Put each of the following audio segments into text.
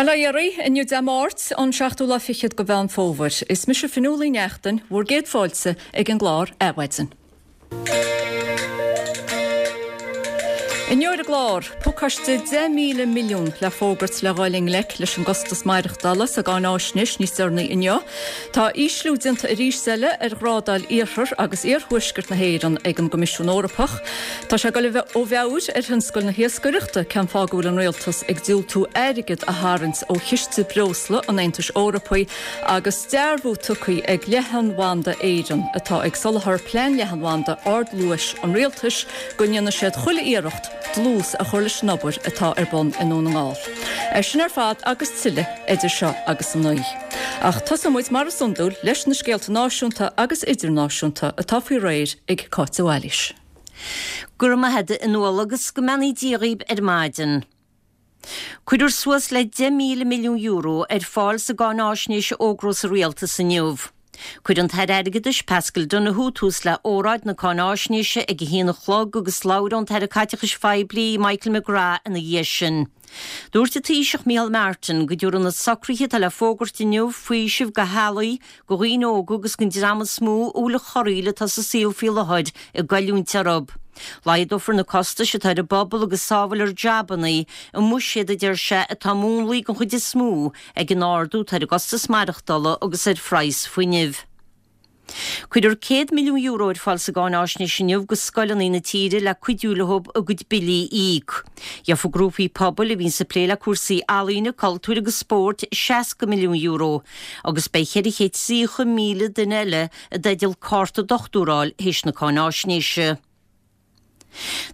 Bail ó Dhia oraibh, inniu Dé Máirt, an seachtú lá fichead de Mheán Fómhair. Is mise Fionnuala Ní Neachtain, bhur gcéad fáilte ag an gclár Adhmhaidin. Inniu ar an gclár, pacáiste 10,000 milliún le fógairt le dhul i ngleic leis an gcostas maireachtála sa gcáináisnéis níos deireanaí inniu. Tá ísliú déanta arís eile ar ghrádáil iarthar agus iarthuaisceart na hÉireann ag an gCoimisiún Eorpach. Tá sé ag dul ó mheabhair ar thionscal na hiascaireachta cén fáth go bhfuil an rialtas ag diúltú airgead a tharraingt ó chiste breosla an Aontais Eorpaigh agus dearbhú tugtha ag Leathanbhanda Éireann, atá ag soláthar plean leathanbhanda ardluais an rialtais, go ndéanfaidh siad chuile iarracht dlús a chur leis an obair atá ar bun i nDún na nGall. É sin ar fad agus tuilleadh idir seo agus a 9. Ach tosóidh muid mar is iondúil leis na scéalta náisiúnta agus idirnáisiúnta atá faoi réir ag Cáit de Bhailís. Go raibh maith agat a Fhionnuala agus go mbeannaí Dia dhaoib ar maidin. Cuirfear suas le €10,000 milliún ar fáil sa gcáináisnéis a fhógrós an Rialtas inniu. Cuirfidh an tAire Airgeadais Paschal Donohoe tús le óráid na cáináisnéise ag a haon a chlog agus labhróidh an tAire Caiteachais Phoiblí Michael McGrath ina dhiaidh sin. Dúirt an Taoiseach Micheál Martin go dtabharfaidh na socruithe atá le fógairt inniu faoiseamh do theaghlaigh, do dhaoine óga agus don dream is mó a bhfuil an chorraíl atá sa saol faoi láthair ag goilliúint orthu. Laghdófar na costais atá ar an bpobal agus sábhálfar jabanna i mbuiséad a deir sé atá múnlaithe den chuid is mó ag an ardú atá ar an gcostas maireachtála agus ar phraghas fuinnimh. Cuirfear €100 milliún ar fáil sa gcáináisnéis inniu go scoileanna na tíre le cuidiú leo a gcuid billí a íoc. Gheofaidh grúpaí pobail a bhíonns ag plé le cúrsaí ealaíne, cultúir agus spóirt €60 milliún agus beidh 430,000 duine eile i dteideal cárta dochtúra a fháil théis na cáináisnéise.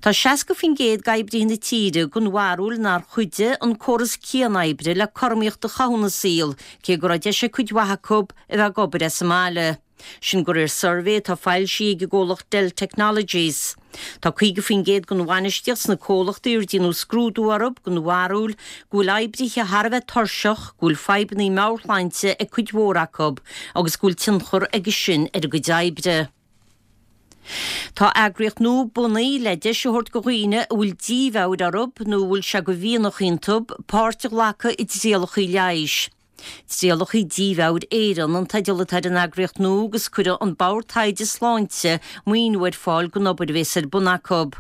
Tá 60% d'oibrithe na tíre den bharúil nár chuidigh an córas cian-oibre le cothromaíocht a chothú ina saol, cé go raibh deis ag cuid mhaith acu a bheith ag obair as an mbaile. Sin de réir suirbhé atá foilsithe ag an gcomhlacht Dell Technologies. Tá 50% den bhainistíocht sna comhlachtaí ar déanadh scrúdú orthu den bharúil go bhfuil oibrithe thar a bheith tuirseach, go bhfuil fadhbanna meabhairshláinte ag cuid mhór acu agus go bhfuil tionchar aige sin ar a gcuid oibre. Tá eagraíocht nua bunaithe le deis a thabhairt do dhaoine a bhfuil dímheabhair orthu nó a bhfuil sé de mhianach iontu páirt a ghlacadh i dtrialacha leighis. Trialacha Dímheabhair Éireann an teideal atá ar an eagraíocht nua agus cuirfidh an Bord Taighde Sláinte maoiniú ar fáil don obair a bhéas ar bun acu.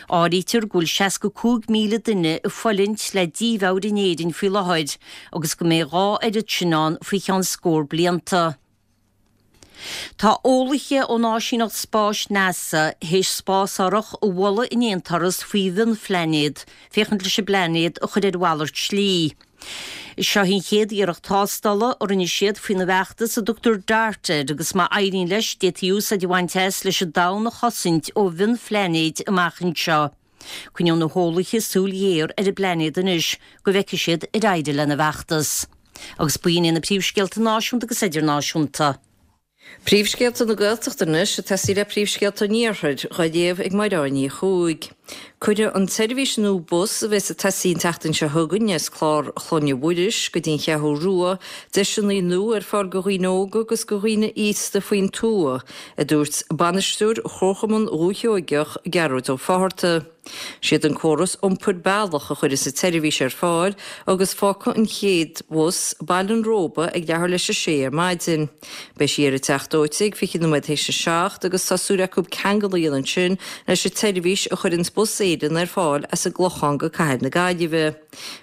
Áirítear go bhfuil 65,000 duine ag fulaingt le dímheabhair in Éirinn faoi láthair agus go mbeidh a dhá oiread sin ann faoi cheann scór blianta. Tá eolaithe ón áisíneacht spáis NASA théis spásárthach a bhualadh in aon turas faoi mhionphlainéad, féachaint leis an bplainéad a chur ar mhalairt slí. Seo í an chéad iarracht tástála a rinne siad faoina bhfeachtas a dtugtar DART air agus má éiríonn leis d'fhéadfaí úsáid a bhaint as leis an domhan a chosaint ó mhionphlainéid amach anseo. Coinneoidh na heolaithe súil ghéar ar an bplainéad anois go bhfeicfidh siad ar éirigh lena bhfeachtas. Agus b'in iad na príomhscéalta náisiúnta agus idirnáisiúnta. Príomhscéalta na Gaeltachta anois ag tosaí le príomhscéalta an Iarthair, dhá léamh ag Mairéad Ní Chuaig. Cuirfidh an tseirbhís nua bus a bheas ag tosaí an tseachtain seo chugainn as Clár Chlainne Mhuiris go dtí an Cheathrú Rua deiseanna nua ar fáil do dhaoine óga agus do dhaoine aosta faoin tuath, a dúirt bainisteoir Chomharchumann Dhúiche Sheoigeach, Gearóid Ó Fátharta. Siad an córas iompair Bealach a chuirfeas an tseirbhís ar fáil agus fágfaidh an chéad bhus Baile an Róba ag leathuair leis a sé ar maidin. Beidh sí ar an Teach Dóite ag 20 nóiméad théis a 7 agus tá súil acu ceangal a dhéanamh ansin leis an tseirbhís a chuireanns Bus Éireann ar fáil as an gClochán go Cathair na Gaillimhe.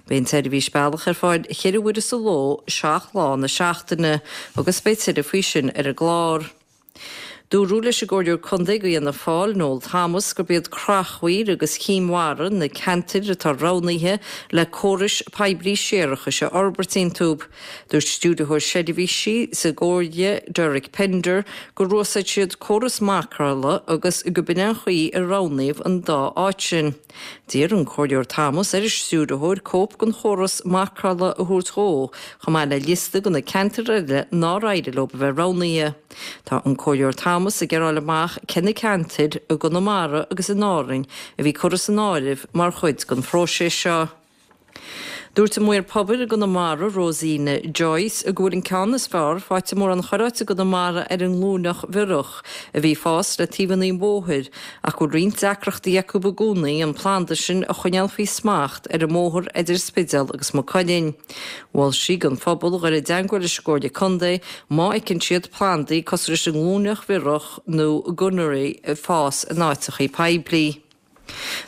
Beidh an tseirbhís Bealach ar fáil cheithre huaire sa ló, 7 lá na seachtaine agus beidh tuilleadh faoi sin ar an gclár. Dúradh leis an gComhairleoir Contae do Fhianna Fáil, Noel Thomas, gurb iad Creachmhaoil agus Cinn Mhara na ceantair atá roghnaithe le córais poiblí séarachais a fhorbairt iontu. Dúirt Stiúrthóir Seirbhísí sa gComhairle, Derek Pender, gur úsáid siad córas marcála agus go b'in an chaoi a roghnaíodh an dá áit sin. D'iarr an Comhairleoir Thomas ar an stiúrthóir cóip den chóras marcála a thabhairt dhó, chomh maith le liosta de na ceantair eile nár éirigh leo a bheith roghnaithe. Tá an Comhairleoir Thomas ag iarraidh a fháil amach cé na ceantair i gConamara agus in Árainn a bhí curtha san áireamh mar chuid den phróiseas seo. Dúirt an Maor Pobail i gConamara, Rosina Joyce, go bhfuil an ceann is fearr faighte i mórán corráite i gConamara ar an nglúineach bhiorach a bhí ag fás le taobhanna an bhóthair ach go bhfuil roinnt deacrachtaí acu i gcónaí an planda sin a choinneáil faoi smacht ar an mbóthar idir Spidéal agus Maigh Cuilinn. Mhol sí don phobal dhul i dteangmháil leis an gComhairle Contae má fheiceann siad plandaí cosúil leis an nglúineach bhiorach nó Gunnera ag fás in áiteachaí poiblí.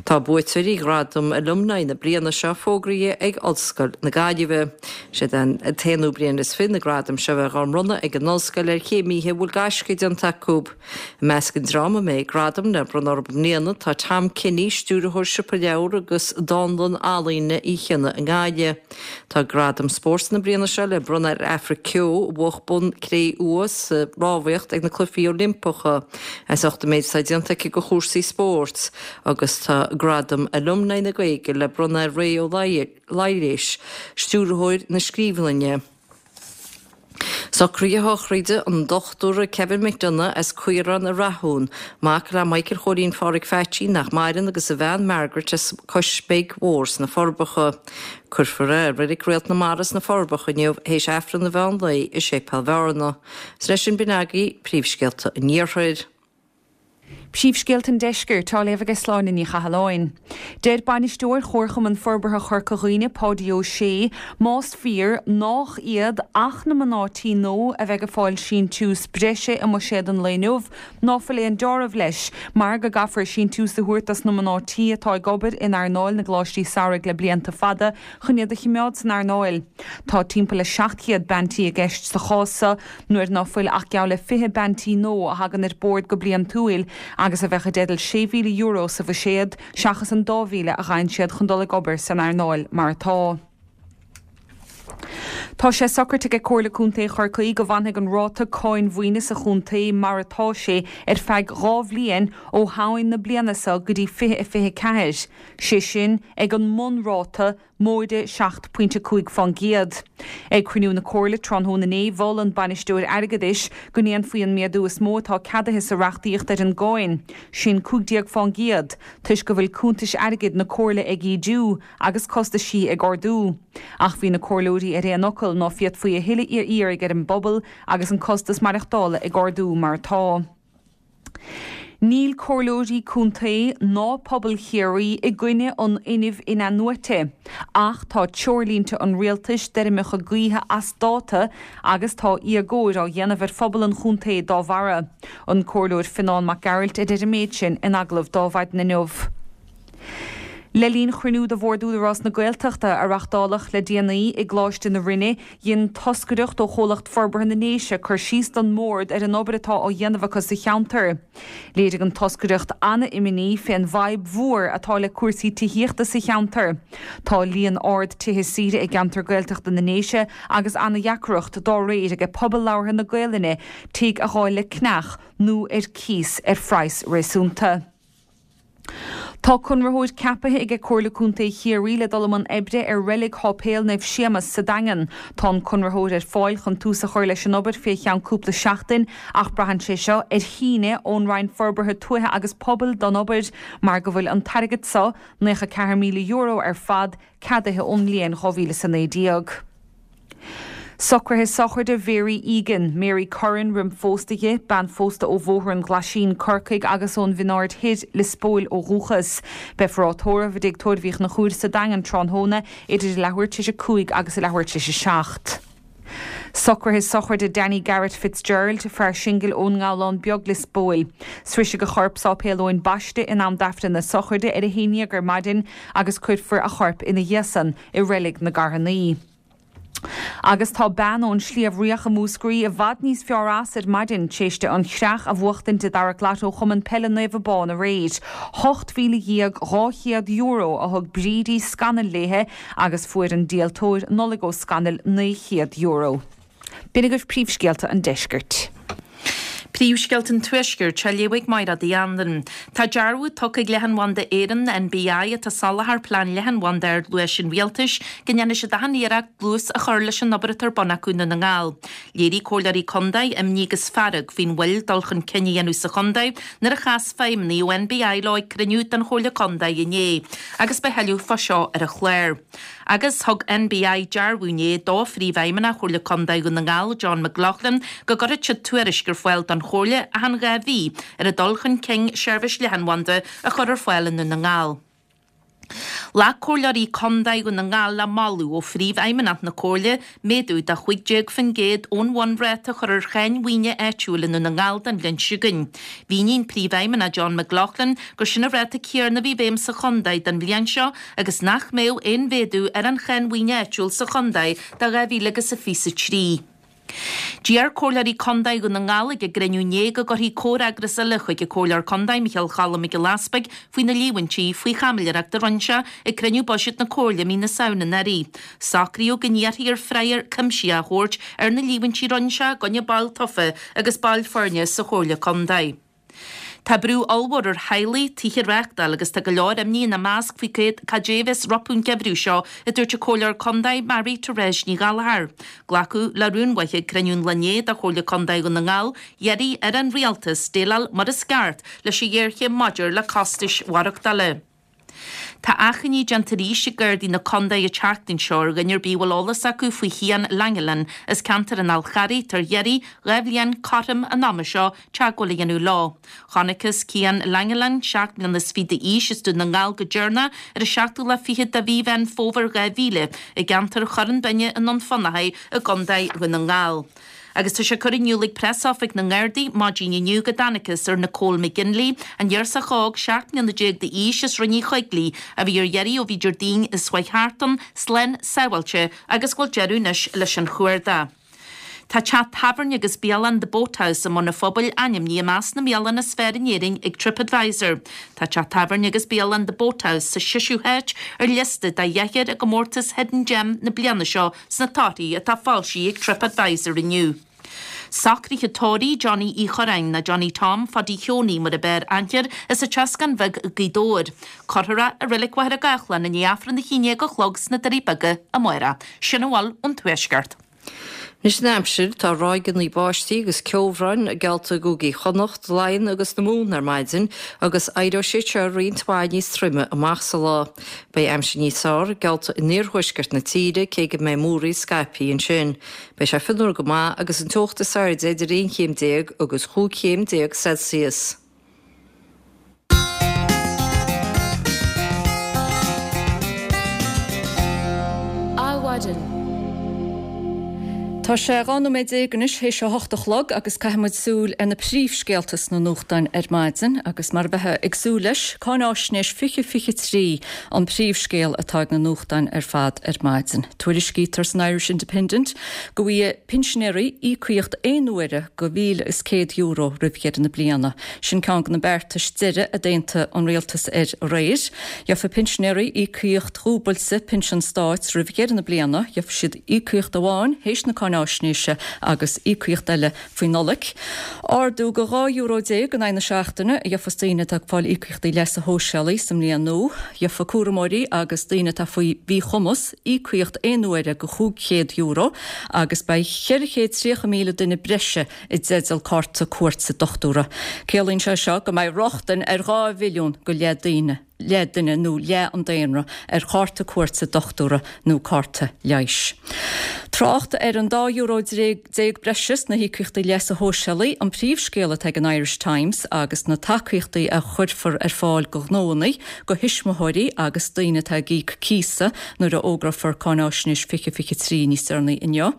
Tá buaiteoirí Ghradam Alumni na bliana seo fógraithe ag Ollscoil na Gaillimhe. Siad an t-aonú bliain is fi na gradaim seo a bheith á mbronnadh ag an ollscoil ar chéimithe a bhfuil gaisce déanta acu. I measc an dream a mbeidh gradam le bronnadh orthu i mbliana tá Tom Kenny, stiúrthóir Siopa Leabhar agus Dánlann Ealaíne Uí Chionnaith i nGaillimh. Tá Gradam Spóirt na bliana seo le bronnadh ar Aifric Keogh, a bhuach bonn cré-umha sa rámhaíocht ag na Cluichí Oilimpeacha, as ucht an méid atá déanta aici do chúrsaí spóirt, agus tá Gradam Alumni na Gaeilge le bronnadh ar Ray Ó Laighléis, Stiúrthóir na Scríbhleanna. Socruithe sochraide an Dochtúra Kevin McDonagh as Caorán i Rathún, mac le Michael Chóilín Pháraic Pheaitsí, nach maireann, agus a bhean Margaret as Cois Beag Mhór sna Forbacha. Cuirfear é i Reilig Réalt na Mara sna Forbacha inniu théis Aifreann an mheán lae i Séipéal Bhearna. Is leis sin b'in agaibh príomhscéalta an Iarthair. Príomhscéalta an Deiscirt á léamh ag Sláine Ní Chathalláin. Deir Bainisteoir Chomharchumann Forbartha Chorca Dhuibhne, Páidí Ó Sé, más fíor nách iad ach na mná tí nua a bheidh ag fáil síntiús breise i mbuiséad an lae inniu, ná fuil aon deáramh leis, mar go gcaithfear síntiús a thabhairt dos na mná tí atá ag obair in earnáil na gcoláistí samhraidh le blianta fada chun iad a chimeád san earnáil. Tá timpeall le 700 bean tí i gceist sa chás so, nuair ná fuil ach geall le 20 bean tí nua a thagann ar bord go bliantúil agus a bheadh i dteideal €6,000 sa bhuiséad seachas an 2,000 a fhaigheann siad chun dul ag obair san earnáil mar atá. Tá sé socraite ag Comhairle Contae Chorcaí go bhfanfaidh an ráta cáin mhaoine sa chontae mar atá sé ar feadh 2 bhliain ó Shamhain na bliana seo go dtí 2024, sé sin ag an mbunráta móide 7.5%. Ag cruinniú na Comhairle tráthnóna inné, mhol an Bainisteoir Airgeadais go ndéanfaí an méadú is mó atá ceadaithe sa reachtaíocht ar an gcáin, sin 15%, toisc go bhfuil cuntais airgid na Comhairle ag ídiú agus costaisí ag ardú. Ach bhí na Comhairleoirí ar aon fhocal ná féadfaí a thuilleadh a iarraidh ar an bpobal agus an costas maireachtála ag ardú mar atá. Níl comhairleoirí contae ná pobal Chiarraí i gcoinne an fhuinnimh in-athnuaite, ach tá treoirlínte an rialtais d'fheirmeacha gaoithe as dáta agus tá éagóir á dhéanamh ar phobal an chontae dá bharra. An Comhairleoir Fionán Mac Gearailt a deir an méid sin in agallamh do Adhmhaidin inniu. Le linn chruinniú de Bhord Údarás na Gaeltachta a reachtáladh le déanaí i gColáiste na Rinne, dhein toscaireacht ó Chomhlacht Forbartha na nDéise cur síos don mBord ar an obair atá á dhéanamh acu sa cheantar. Léirigh an toscaireacht an-imní fén bhfadhb mhór atá le cúrsaí tithíochta sa cheantar. Tá líon ard tithe saoire i gceantar Gaeltachta na nDéise agus an-deacracht dá réir aige pobal labhartha na Gaelainne tigh a dh'fháil le ceannach nó ar cíos ar phraghas réasúnta. Tá conraitheoir ceapaithe aige Comhairle Contae Chiarraí le dul i mbun oibre ar reilig Sháipéal Naomh Séamas sa Daingean. Tá an conraitheoir ar fáil chun tús a chur leis an obair fé cheann cúpla seachtain ach braitheann sé seo ar shíneadh ón Roinn Forbartha Tuaithe agus Pobail don obair mar go bhfuil an t-airgead so, €94,000 ar fad, ceadaithe ón mbliain 2019. Socruithe sochraide Mhary Egan, Mary Curran roim phósta di, bean phósta ó Bhóthar an Ghlaisín, Corcaigh agus ón Bhinn Aird Thoir, Lios Póil ó dhúchas. Beifear á tórramh i dTigh Tórraimh Uí Chonchúir sa Daingean tráthnóna idir a leathuair tar éis a 5 agus a leathuair tar éis a 7. Socruithe sochraide Danny Garrett Fitzgerald, fear singil ón nGabhlán Beag, Lios Póil. Sroisfidh a chorp Sáipéal Eoin Baiste in am d'Aifreann na sochraide ar a haon dhéag ar maidin agus cuirfear a chorp ina dhiaidh san i Reilig na gCarthannaí. Agus tá bean ón Sliabh Riach i Múscraí i bhfad níos fearr as ar maidin tar éis di an chreach a bhuachtaint i dtarrac Lotto Chumann Peile Naomh Abán aréir. €18,200 a thug Bríd Uí Scanaill léithe agus fuair an díoltóir Nollaig Ó Scanaill €900. B'in agaibh príomhscéalta an deiscirt. Príomhscéalta an Tuaiscirt á léamh ag Mairéad Uí Anluain. Tá dearbhú tugtha ag Leathanbhanda Éireann, NBI, atá ag soláthar plean leathanbhanda ardluais an Rialtais, go ndéanfaidh siad achan iarracht dlús a chur leis an obair atá ar bun acu i nDún na nGall. Léirigh comhairleoirí contae imní agus fearg faoin mhoill dul chun cinn a dhéanamh sa chontae nuair a chas feidhmeannaigh ó NBI leo ag cruinniú den Chomhairle Contae inné. Agus beidh thuilleadh fá seo ar an chlár. Agus thug NBI dearbhú inné do Phríomhfheidhmeannach Chomhairle Contae Dhún na nGall, John McLaughlin, go gcuirfidh siad tuairisc ar fáil don Chomhairle achan 2 mhí ar an dul chun cinn seirbhís leathanbhanda a chur ar fáil i nDún na nGall. Ghlac Comhairleoirí Contae Dhún na nGall le moladh ó Phríomhfheidhmeannach na Comhairle méadú de 15% ón bhunráta a chur ar cháin mhaoine áitiúil i nDún na nGall don bhliain seo chugainn. Mhínigh an Príomhfheidhmeannach John McLaughlin gur sin an ráta céarna a bhí i bhfeidhm sa chontae don bhliain seo agus nach mbeadh aon mhéadú ar an cháin mhaoine áitiúil sa chontae do 2023. D'iarr Comhairleoirí Contae Dhún na nGall ag a gcruinniú inné go gcuirfí comhfhreagras eile chuig an Comhairleoir Contae Micheál Cholm Mac Giolla Easpaig faoi na líomhaintí faoi chaimiléireacht a rinne sé ag cruinniú buiséid na Comhairle mí na Samhna anuraidh. Socraíodh go n-iarrfaí air freagra cuimsitheach a thabhairt ar na líomhaintí a rinne sé i gcoinne baill tofa agus baill foirne sa Chomhairle Contae. Tá brú ollmhór ar theaghlaigh tithe a reáchtáil agus tá go leor imní ina measc faoi cad é a bheas rompu an geimhreadh seo, a dúirt an Comhairleoir Contae Mary Therese Ní Ghallchóir. Glacadh le rún uaithi ag cruinniú an lae inné de Chomhairle Contae Dhún na nGall iarraidh ar an Rialtas déileáil mar is ceart leis an ghéarchéim maidir le costais mhaireachtála. Tá achainí déanta arís ag Gardaí na Condae an tseachtain seo ar dhuine ar bith a bhfuil eolas acu faoi Chian Langelan as ceantar an Fhál Charraigh tar iarraidh 2 bhliain cothrom an ama seo teagmháil a dhéanamh leo. Chonacthas Cian Langelan, 7 mbliana is fiche d'aois as Dún na nGall go deireanach ar an seachtú lá fichead de mhí Mheán Fómhair 2000 i gceantar Chorn Binne i nDún Fionnachaidh i gCondae Dhún na nGall. Agus tá sé curtha in iúl ag Preasoifig na nGardaí maidin inniu go dtángthas ar Nicole McGinley, an ghirseach óg 17 mbliana d'aois as Rinn Uí Choigligh, a bhí ar iarraidh ó bhí Déardaoin i Sraith Thartan, slán sábháilte agus go bhfuil deireadh anois leis an chuardach. Tá teach tábhairne agus bialann The Boathouse i mBun an Phobail ainmnithe i measc na mbialann is fearr in Éirinn ag TripAdvisor. Tá teach tábhairne agus bialann The Boathouse sa seisiú háit ar liosta de dheich i gcomórtas Hidden Gem na bliana seo sna torthaí atá foilsithe ag TripAdvisor inniu. Socruithe tórraimh Johnny Uí Churráin nó Johnny Tom Phaidí Sheonaí mar ab fhearr aithne air as an Troscán Bheag Gaoth Dobhair. Cuirfear é i Reilig Mhachaire Gathlán i ndiaidh Aifreann 11 a chlog sna Doirí Beaga amárach. Sin a bhfuil ón Tuaisceart. Anois an aimsir, tá ráigeanna báistí agus ceobhráin geallta i gcúigí Chonnacht, Laighean agus na Mumhan ar maidin agus éireoidh siad seo roinnt mhaith níos troime amach sa lá. Beidh aimsir níos fearr geallta in iarthuaisceart na tíre cé go mbeidh múraíl scaipthe ansin. Beidh sé fionnuar go maith agus an teocht is airde idir 11 chéim agus 15 chéim Celsius. Adhmhaidin. Tá sé 12 nóiméad anois théis a hocht a chlog agus caithfidh muid súil ar na príomhscéalta sna nuachtáin ar maidin agus mar a bheifeá ag súil leis, Cáináisnéis 2023 an príomhscéal atá ag na nuachtáin ar fad ar maidin. Tuairiscítear san Irish Independent go bhfaighidh pinsinéirí íocaíocht aon uaire de €1,100 roimh dheireadh na bliana. Sin ceann de na beartais deiridh a d'aontaigh an rialtas air aréir. Gheofaidh pinsinéirí íocaíocht dhúbailte pinsean stáit roimh dheireadh na bliana. Gheofaidh siad íocaíocht amháin théis na cáináisnéise agus íocaíocht eile faoi Nollaig. Ardú de €12 in aghaidh na seachtaine a gheofas daoine atá ag fáil íocaíochtaí leasa shóisialaigh sa mbliain nua. Gheofaidh cúramóirí agus daoine atá faoi mhíchumas íocaíocht aon uaire de €500 agus beidh 430,000 duine breise i dteideal cárta cuairte dochtúra. Ciallaíonn sé seo go mbeidh rochtain ar 2 mhilliún go leith daoine, leith duine nó leath an daonra, ar chárta cuairte dochtúra nó cárta leighis. Trácht ar an €12 breise sna híocaíochtaí leasa shóisialaigh an príomhscéal atá ag an Irish Times agus na tacaíochtaí a chuirfear ar fáil do ghnóanna, do thuismitheoirí agus daoine atá ag íoc cíosa nuair a fhógrófar Cáináisnéis 2023 níos deireanaí inniu.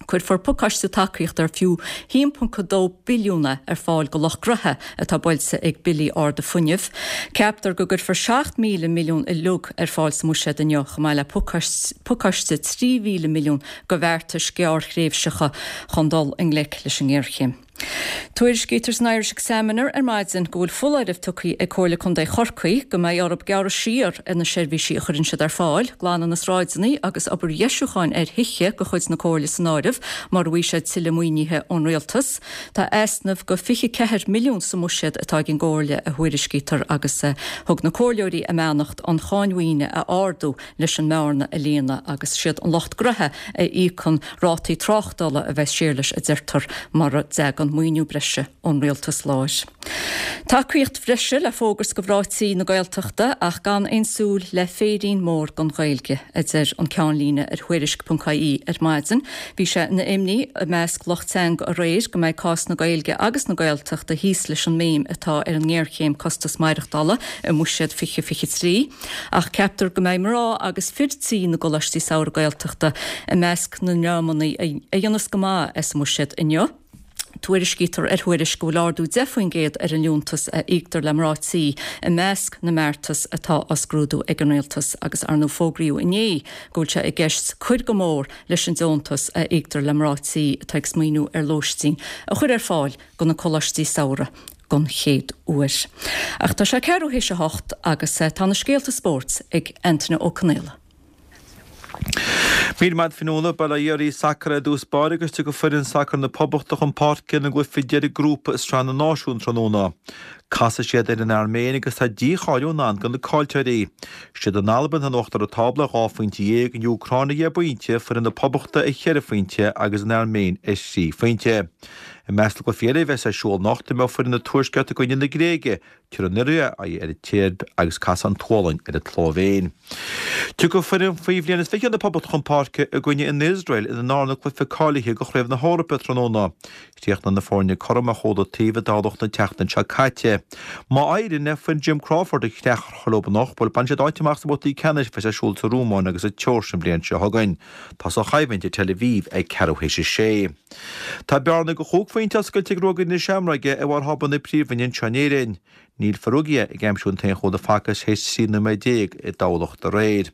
Cuirfear pacáiste tacaíochta ar fiú 1.2 billiún é ar fáil do lucht gnoithe atá buailte ag billí arda fuinnimh. Ceaptar go gcuirfear 7,000 milliún uilig ar fáil sa mbuiséad inniu, chomh maith le pacáiste 3,000 milliún de bheartais ghearrthréimhseacha chun dul i ngleic leis an ngéarchéim. Tuairiscítear san Irish Examiner ar maidin go bhfuil foláireamh tugtha ag Comhairle Contae Chorcaí go mbeidh orthu gearradh siar ar na seirbhísí a chuireann siad ar fáil, glanadh na sráideanna agus obair dheisiúcháin ar thithe de chuid na Comhairle san áireamh, mura bhfaighidh siad tuilleadh maoinithe ón Rialtas. Tá easnamh de 24 milliún sa mbuiséad atá ag an gComhairle, a thuairiscítear, agus thug na comhairleoirí a mbeannacht an cháin mhaoine a ardú leis an mbearna a líonadh agus siad an lucht gnoithe a íocann rátaí tráchtála a bheas siar leis a deirtear mura dtagann. gan maoiniú breise ón rialtas láir. Tacaíocht bhreise le fógairt do mhná tí na Gaeltachta ach gan aon súil le féirín mór don Ghaeilge, a deir an ceannlíne ar Thuairisc.ie ar maidin. Bhí sé ina imní i measc lucht teanga aréir go mbeidh cás na Gaeilge agus na Gaeltachta thíos leis an mbéim atá ar an ngéarchéim costas maireachtála i mBuiséad 2023 ach ceaptar go mbeidh mná agus fir tí na gcoláistí samhraidh Gaeltachta i measc na ndreamanna a dhéanfas go maith as an mBuiséad inniu. Tuairiscítear ar Thuairisc go bhfuil ardú 10% ar an liúntas a íoctar le mná tí i measc na mbeartas atá á scrúdú ag an Rialtas agus ar ndóigh fógraíodh inné go bhfuil sé i gceist cur go mór leis an deontas a íoctar le mná tí atá ag smaoineamh ar lóistín a chur ar fáil do na coláistí samhraidh don chéad uair. Ach tá sé ceathrú théis a hocht agus tá na scéalta spóirt ag Antaine Ó Conaola. Míle maith agat Fionnuala, Bail ó Dhia oraibh sacar ar dtús báire agus tiocfaidh foireann sacair na Poblachta chun páirce ina gcluiche deiridh grúpa i Sraith na Náisiún tráthnóna. Casfaidh siad ar an Airméin agus tá dícháiliú i ndán do na caillteoirí. Siad an Albain atá in uachtar an tábla ar dhá phointe dhéag, an Úcráin ar dheich bpointe, foireann na Poblachta ar cheithre phointe agus an Airméin ar thrí phointe. I measc na gcluichí eile a bheas ar siúl anocht, imreoidh foireann an Tuaiscirt i gcoinne na Gréige, Tabharfaidh an Iorua aghaidh ar an tSeirbia agus casfaidh an tSualainn ar an tSlóivéin. Tiocfaidh foireann faoi bhliain is 20 na Poblachta chun páirce i gcoinne an Iosrael ina ndarna cluiche cáilithe do Chraobh na hEorpa tráthnóna. Chríochnaigh na foirne cothrom ar chúl an taobh i dTamhlacht an tseachtain seo caite. Má éiríonn le foireann Jim Crawford an chreach a chur leo anocht, bhuel, bainfidh siad áit amach sna babhtaí ceannais a bheas ar siúl sa Rúmáin agus sa tSeoirsia an bhliain seo chugainn. Tosóidh an choimhlint i Tel Aviv ag ceathrú théis a sé. Tá bearna de chúig phointe oscailte ag Ruagairí na Seamróige ar bharr thábla na Príomhroinne anseo in Éirinn. Níl Farrugia ag aimsiú an t-aon chúl a facthas théis 13 nóiméad i dTamhlacht aréir.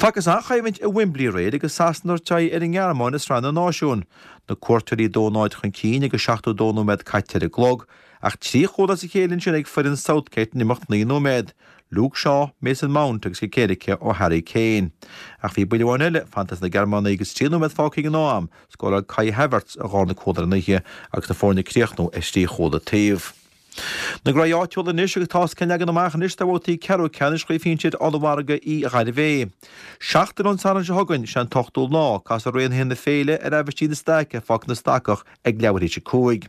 Facthas an-choimhlint i Wembley aréir agus Sasana ag tabhairt aghaidh ar an nGearmáin i Sraith na Náisiún. Na cuairteoirí 2-0 chun cinn agus 72 nóiméad caite ar an gclog, ach trí chúl as a chéile ansin ag foireann Southgate in imeacht 9 nóiméad. Luke Shaw, Mason Mount agus cic éirice ó Harry Kane. Ach bhí buille amháin eile fanta ag na Gearmánaigh agus 3 nóiméad fágtha ag an am, scóráil Kai Havertz a dhárna cúl ar an oíche agus na foirne ag críochnú ar thrí chúl an taobh. Na graí áitiúla anois agus tá os cionn leagan amach anois do bhabhtaí ceathrú ceannais Chraobh Shinsir Ollmhargadh Uí Ghairbhé. Seachtain ón Satharn seo chugainn, sé an t-ochtú lá, casfaidh Raonaithe na Féile ar Aibhistín na Staice ar Pháirc na Stacach ag leathuair théis a 5.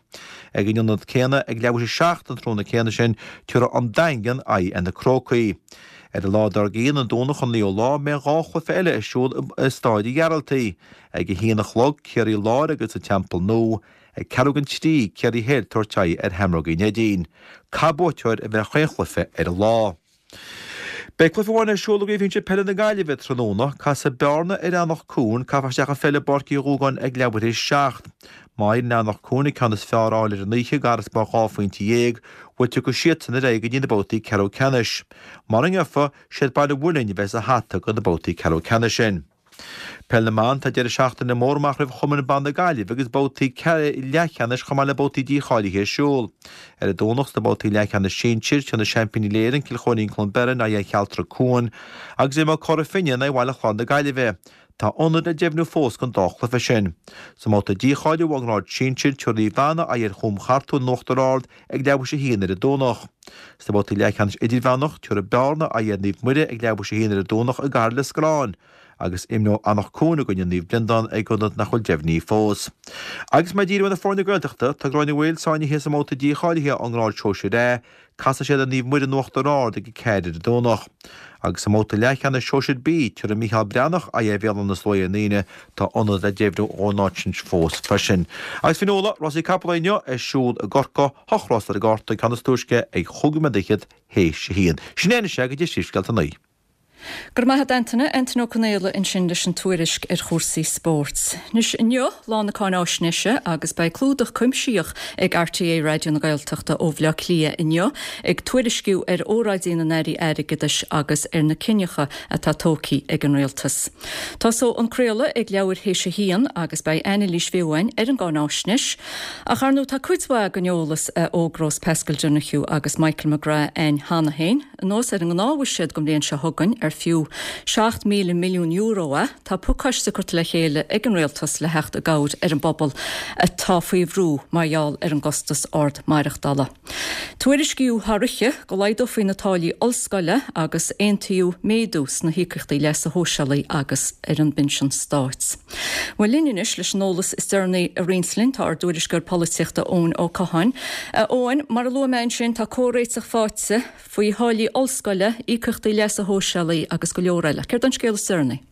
Ag an ionad céanna ag leathuair théis a 7 an tráthnóna céanna sin, tabharfaidh an Daingean aghaidh ar na Crócaigh. Ar an lá dár gcionn, an Domhnach an 9ú lá, beidh an dá chluiche eile ar siúl i Stáid an Ghearaltaigh. Ag a haon a chlog, Ciarraí Láir agus an Teampall Nua. Ag ceathrú don trí, Ciarraí Thoir ag tabhairt aghaidh ar Sheamrógaí Neidín. Caithfidh buaiteoir a bheith ar chaon chluiche ar an lá. Beidh cluiche amháin ar siúl i gCraobh Shinsir Peile na Gaillimhe tráthnóna. Casfaidh Bearna ar Eanach Cuain, caithfear isteach an pheil i bPáirc Uí Dhúgáin ag leathuair théis 7. Má éiríonn le Eanach Cuain an ceann is fearr a fháil ar an oíche, i garasbarr dhá phointe dhéag, bhuel tiocfaidh siadsan ar aghaidh go dtí na babhtaí ceathrú ceannais. Mura ngeofa, siad Baile Mhuilinn a bheidh sa hata do na babhtaí ceathrú ceannais sin. Peil na mBan, Tá deireadh seachtaine mór amach roimh Chumann Ban na Gaillimhe agus babhtaí leathcheannais chomh maith le babhtaí dícháilithe ar siúl. Ar an Domhnach sna babhtaí leathcheannais sinsir, tabharfaidh na seaimpíní uile-Éireann, Cill Chóirín Cluain Bheirn aghaidh ar Chealtra Cuan agus imreoidh Cora Finne in aghaidh Bhaile Chláir na Gaillimhe. Tá ionad le deimhniú fós don dá chluiche sin. Sa mbabhta dícháiliú ón ngrád sinsir, tabharfaidh Naomh Anna aghaidh ar Chúm Chartúin in Uachtar Ard ag leathuair théis a haon ar an Domhnach. Sna babhtaí leathcheannais idirmheánach, tabharfaidh Bearna aghaidh ar Naomh Muire ag leathuair théis a haon ar an Domhnach i gCathair Lios Scoláin, agus imreoidh Anach Cuain i gcoinne Naomh Breandán ag ionad nach bhfuil deimhnithe fós. Agus mé ag díriú ar na foirne Gaeltachta, tá Gráinne Mhaol sáinnithe sa mbabhta dícháilithe ón ngrád sóisir A, casfaidh siad ar Naomh Muire in Uachtar Ard ag a ceathair ar an Domhnach. Agus sa mbabhta leathcheannais sóisir B, tabharfaidh Mícheál Breathnach aghaidh ar Bhéal Átha na Sluaighe ar an Aoine, tá ionad le deimhniú ón áit sin fós freisin. Agus Fionnuala, rásaí capall inniu ar siúl i gCorcaigh, hocht rás ar an gcárta, ceann is túisce ag chúig nóiméad fhichead théis a haon. Sin é anois é go dtí Príomhscéalta a naoi. Go raibh maith agat Antaine, Antaine Ó Conaola ansin leis an tuairisc ar chúrsaí spóirt. Anois, inniu, lá na cáináisnéise agus beidh clúdach cuimsitheach ag RTÉ Raidió na Gaeltachta ó Bhaile Átha Cliath inniu ag tuairisciú ar óráidí na n-airí airgeadais agus ar na cinneacha atá tógtha ag an rialtas. Tosóidh an craoladh ag leathuair théis a haon agus beidh anailís bheo againn ar an gcáináisnéis. Ach ar ndóigh tá cuid mhaith den eolas a fhógrós Paschal Donohoe agus Michael McGrath againn cheana féin. Anuas ar an ngnáthbhuiséad don bhliain seo chugainn, ar fiú €7,000 milliún é, tá pacáiste curtha le chéile ag an Rialtas le theacht i gcabhair ar an bpobal atá faoi bhrú mar gheall ar an gcostas ard maireachtála. Tuairiscíodh thar oíche go laghdófaí na táillí ollscoile agus aontaíodh méadú sna híocaíochtaí leasa shóisialaigh agus ar an bpinsean stáit. Bhuel, linn anois leis an eolas is deireanaí a roinnt linn tá ár dtuairisceoir polaitíochta Eoin Ó Catháin. A Eoin, mar a luaigh mé ansin, tá comhréiteach faighte faoi tháillí ollscoile, íocaíochtaí leasa shóisialaigh agus go leor eile. Céard é an scéal is deireanaí?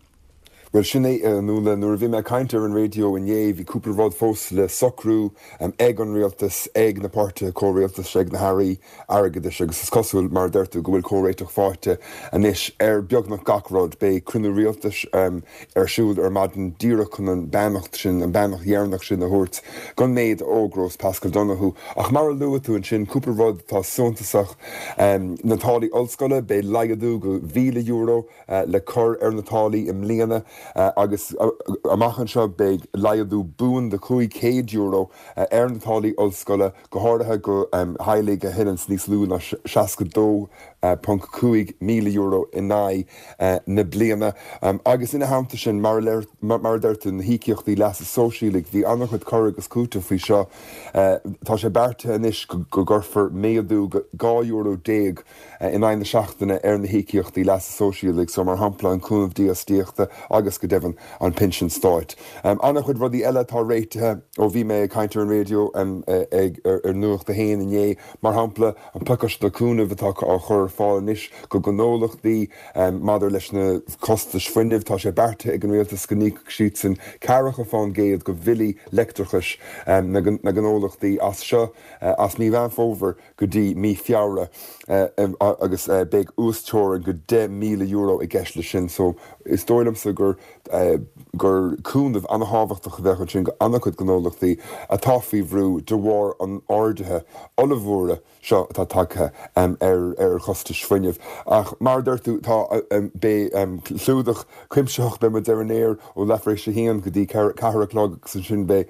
Bhuel, sin é, a Nuala. Nuair a bhí mé ag caint ar an raidió inné, bhí cúpla rud fós le socrú ag an rialtas, ag na páirtithe comhrialtais, ag na hairí airgeadais agus is cosúil, mar a deir tú, go bhfuil comhréiteach faighte anois ar beagnach gach rud. Beidh cruinniú rialtais ar siúl ar maidin díreach chun an beannacht sin, an beannacht dheireanach sin a thabhairt don méid a fhógrós Paschal Donohoe. Ach mar a luaigh tú ansin, cúpla rud atá suntasach, na táillí ollscoile, beidh laghdú go €1,000 le cur ar na táillí i mbliana agus amach anseo beidh laghdú buan de €500 ar na táillí ollscoile, go háirithe go theaghlaigh a thuilleanns níos lú ná €62.5 míle in aghaidh na bliana. Agus ina theannta sin, mar a deir tú, na híocaíochtaí leasa sóisialaigh, bhí an-chuid cur agus cúiteamh faoi seo. Tá sé beartaithe anois go gcuirfear méadú €12 in aghaidh na seachtaine ar na híocaíochtaí leasa sóisialaigh so mar shampla an cúnamh dífhostaíochta agus go deimhin an pinsean stáit. An-chuid rudaí eile atá réitithe ó bhí mé ag caint ar an raidió ag ar Nuacht a hAon inné, mar shampla an pacáiste cúnaimh atá á chur ar fáil anois go gnólachtaí maidir leis na costais fuinnimh. Tá sé beartaithe ag an rialtas go n-íocfaidh siadsan ceathracha fán gcéad go bhillí leictreachais na ngnólachtaí as seo as mí Mheán Fómhair go dtí mí Feabhra agus beidh uasteorainn go €10,000 i gceist leis sin so is dóigh liomsa gur gur cúnamh ana-thábhachtach a bheadh ansin go ana-chuid gnólachtaí atá faoi bhrú de bharr an ardaithe ollmhóra seo atá tagtha ar ar chostais fuinnimh. Ach mar a deir tú tá beidh clúdach cuimsitheach beidh muid ar an aer ó leathuair tar éis a haon go dtí ceathair a chlog agus ansin beidh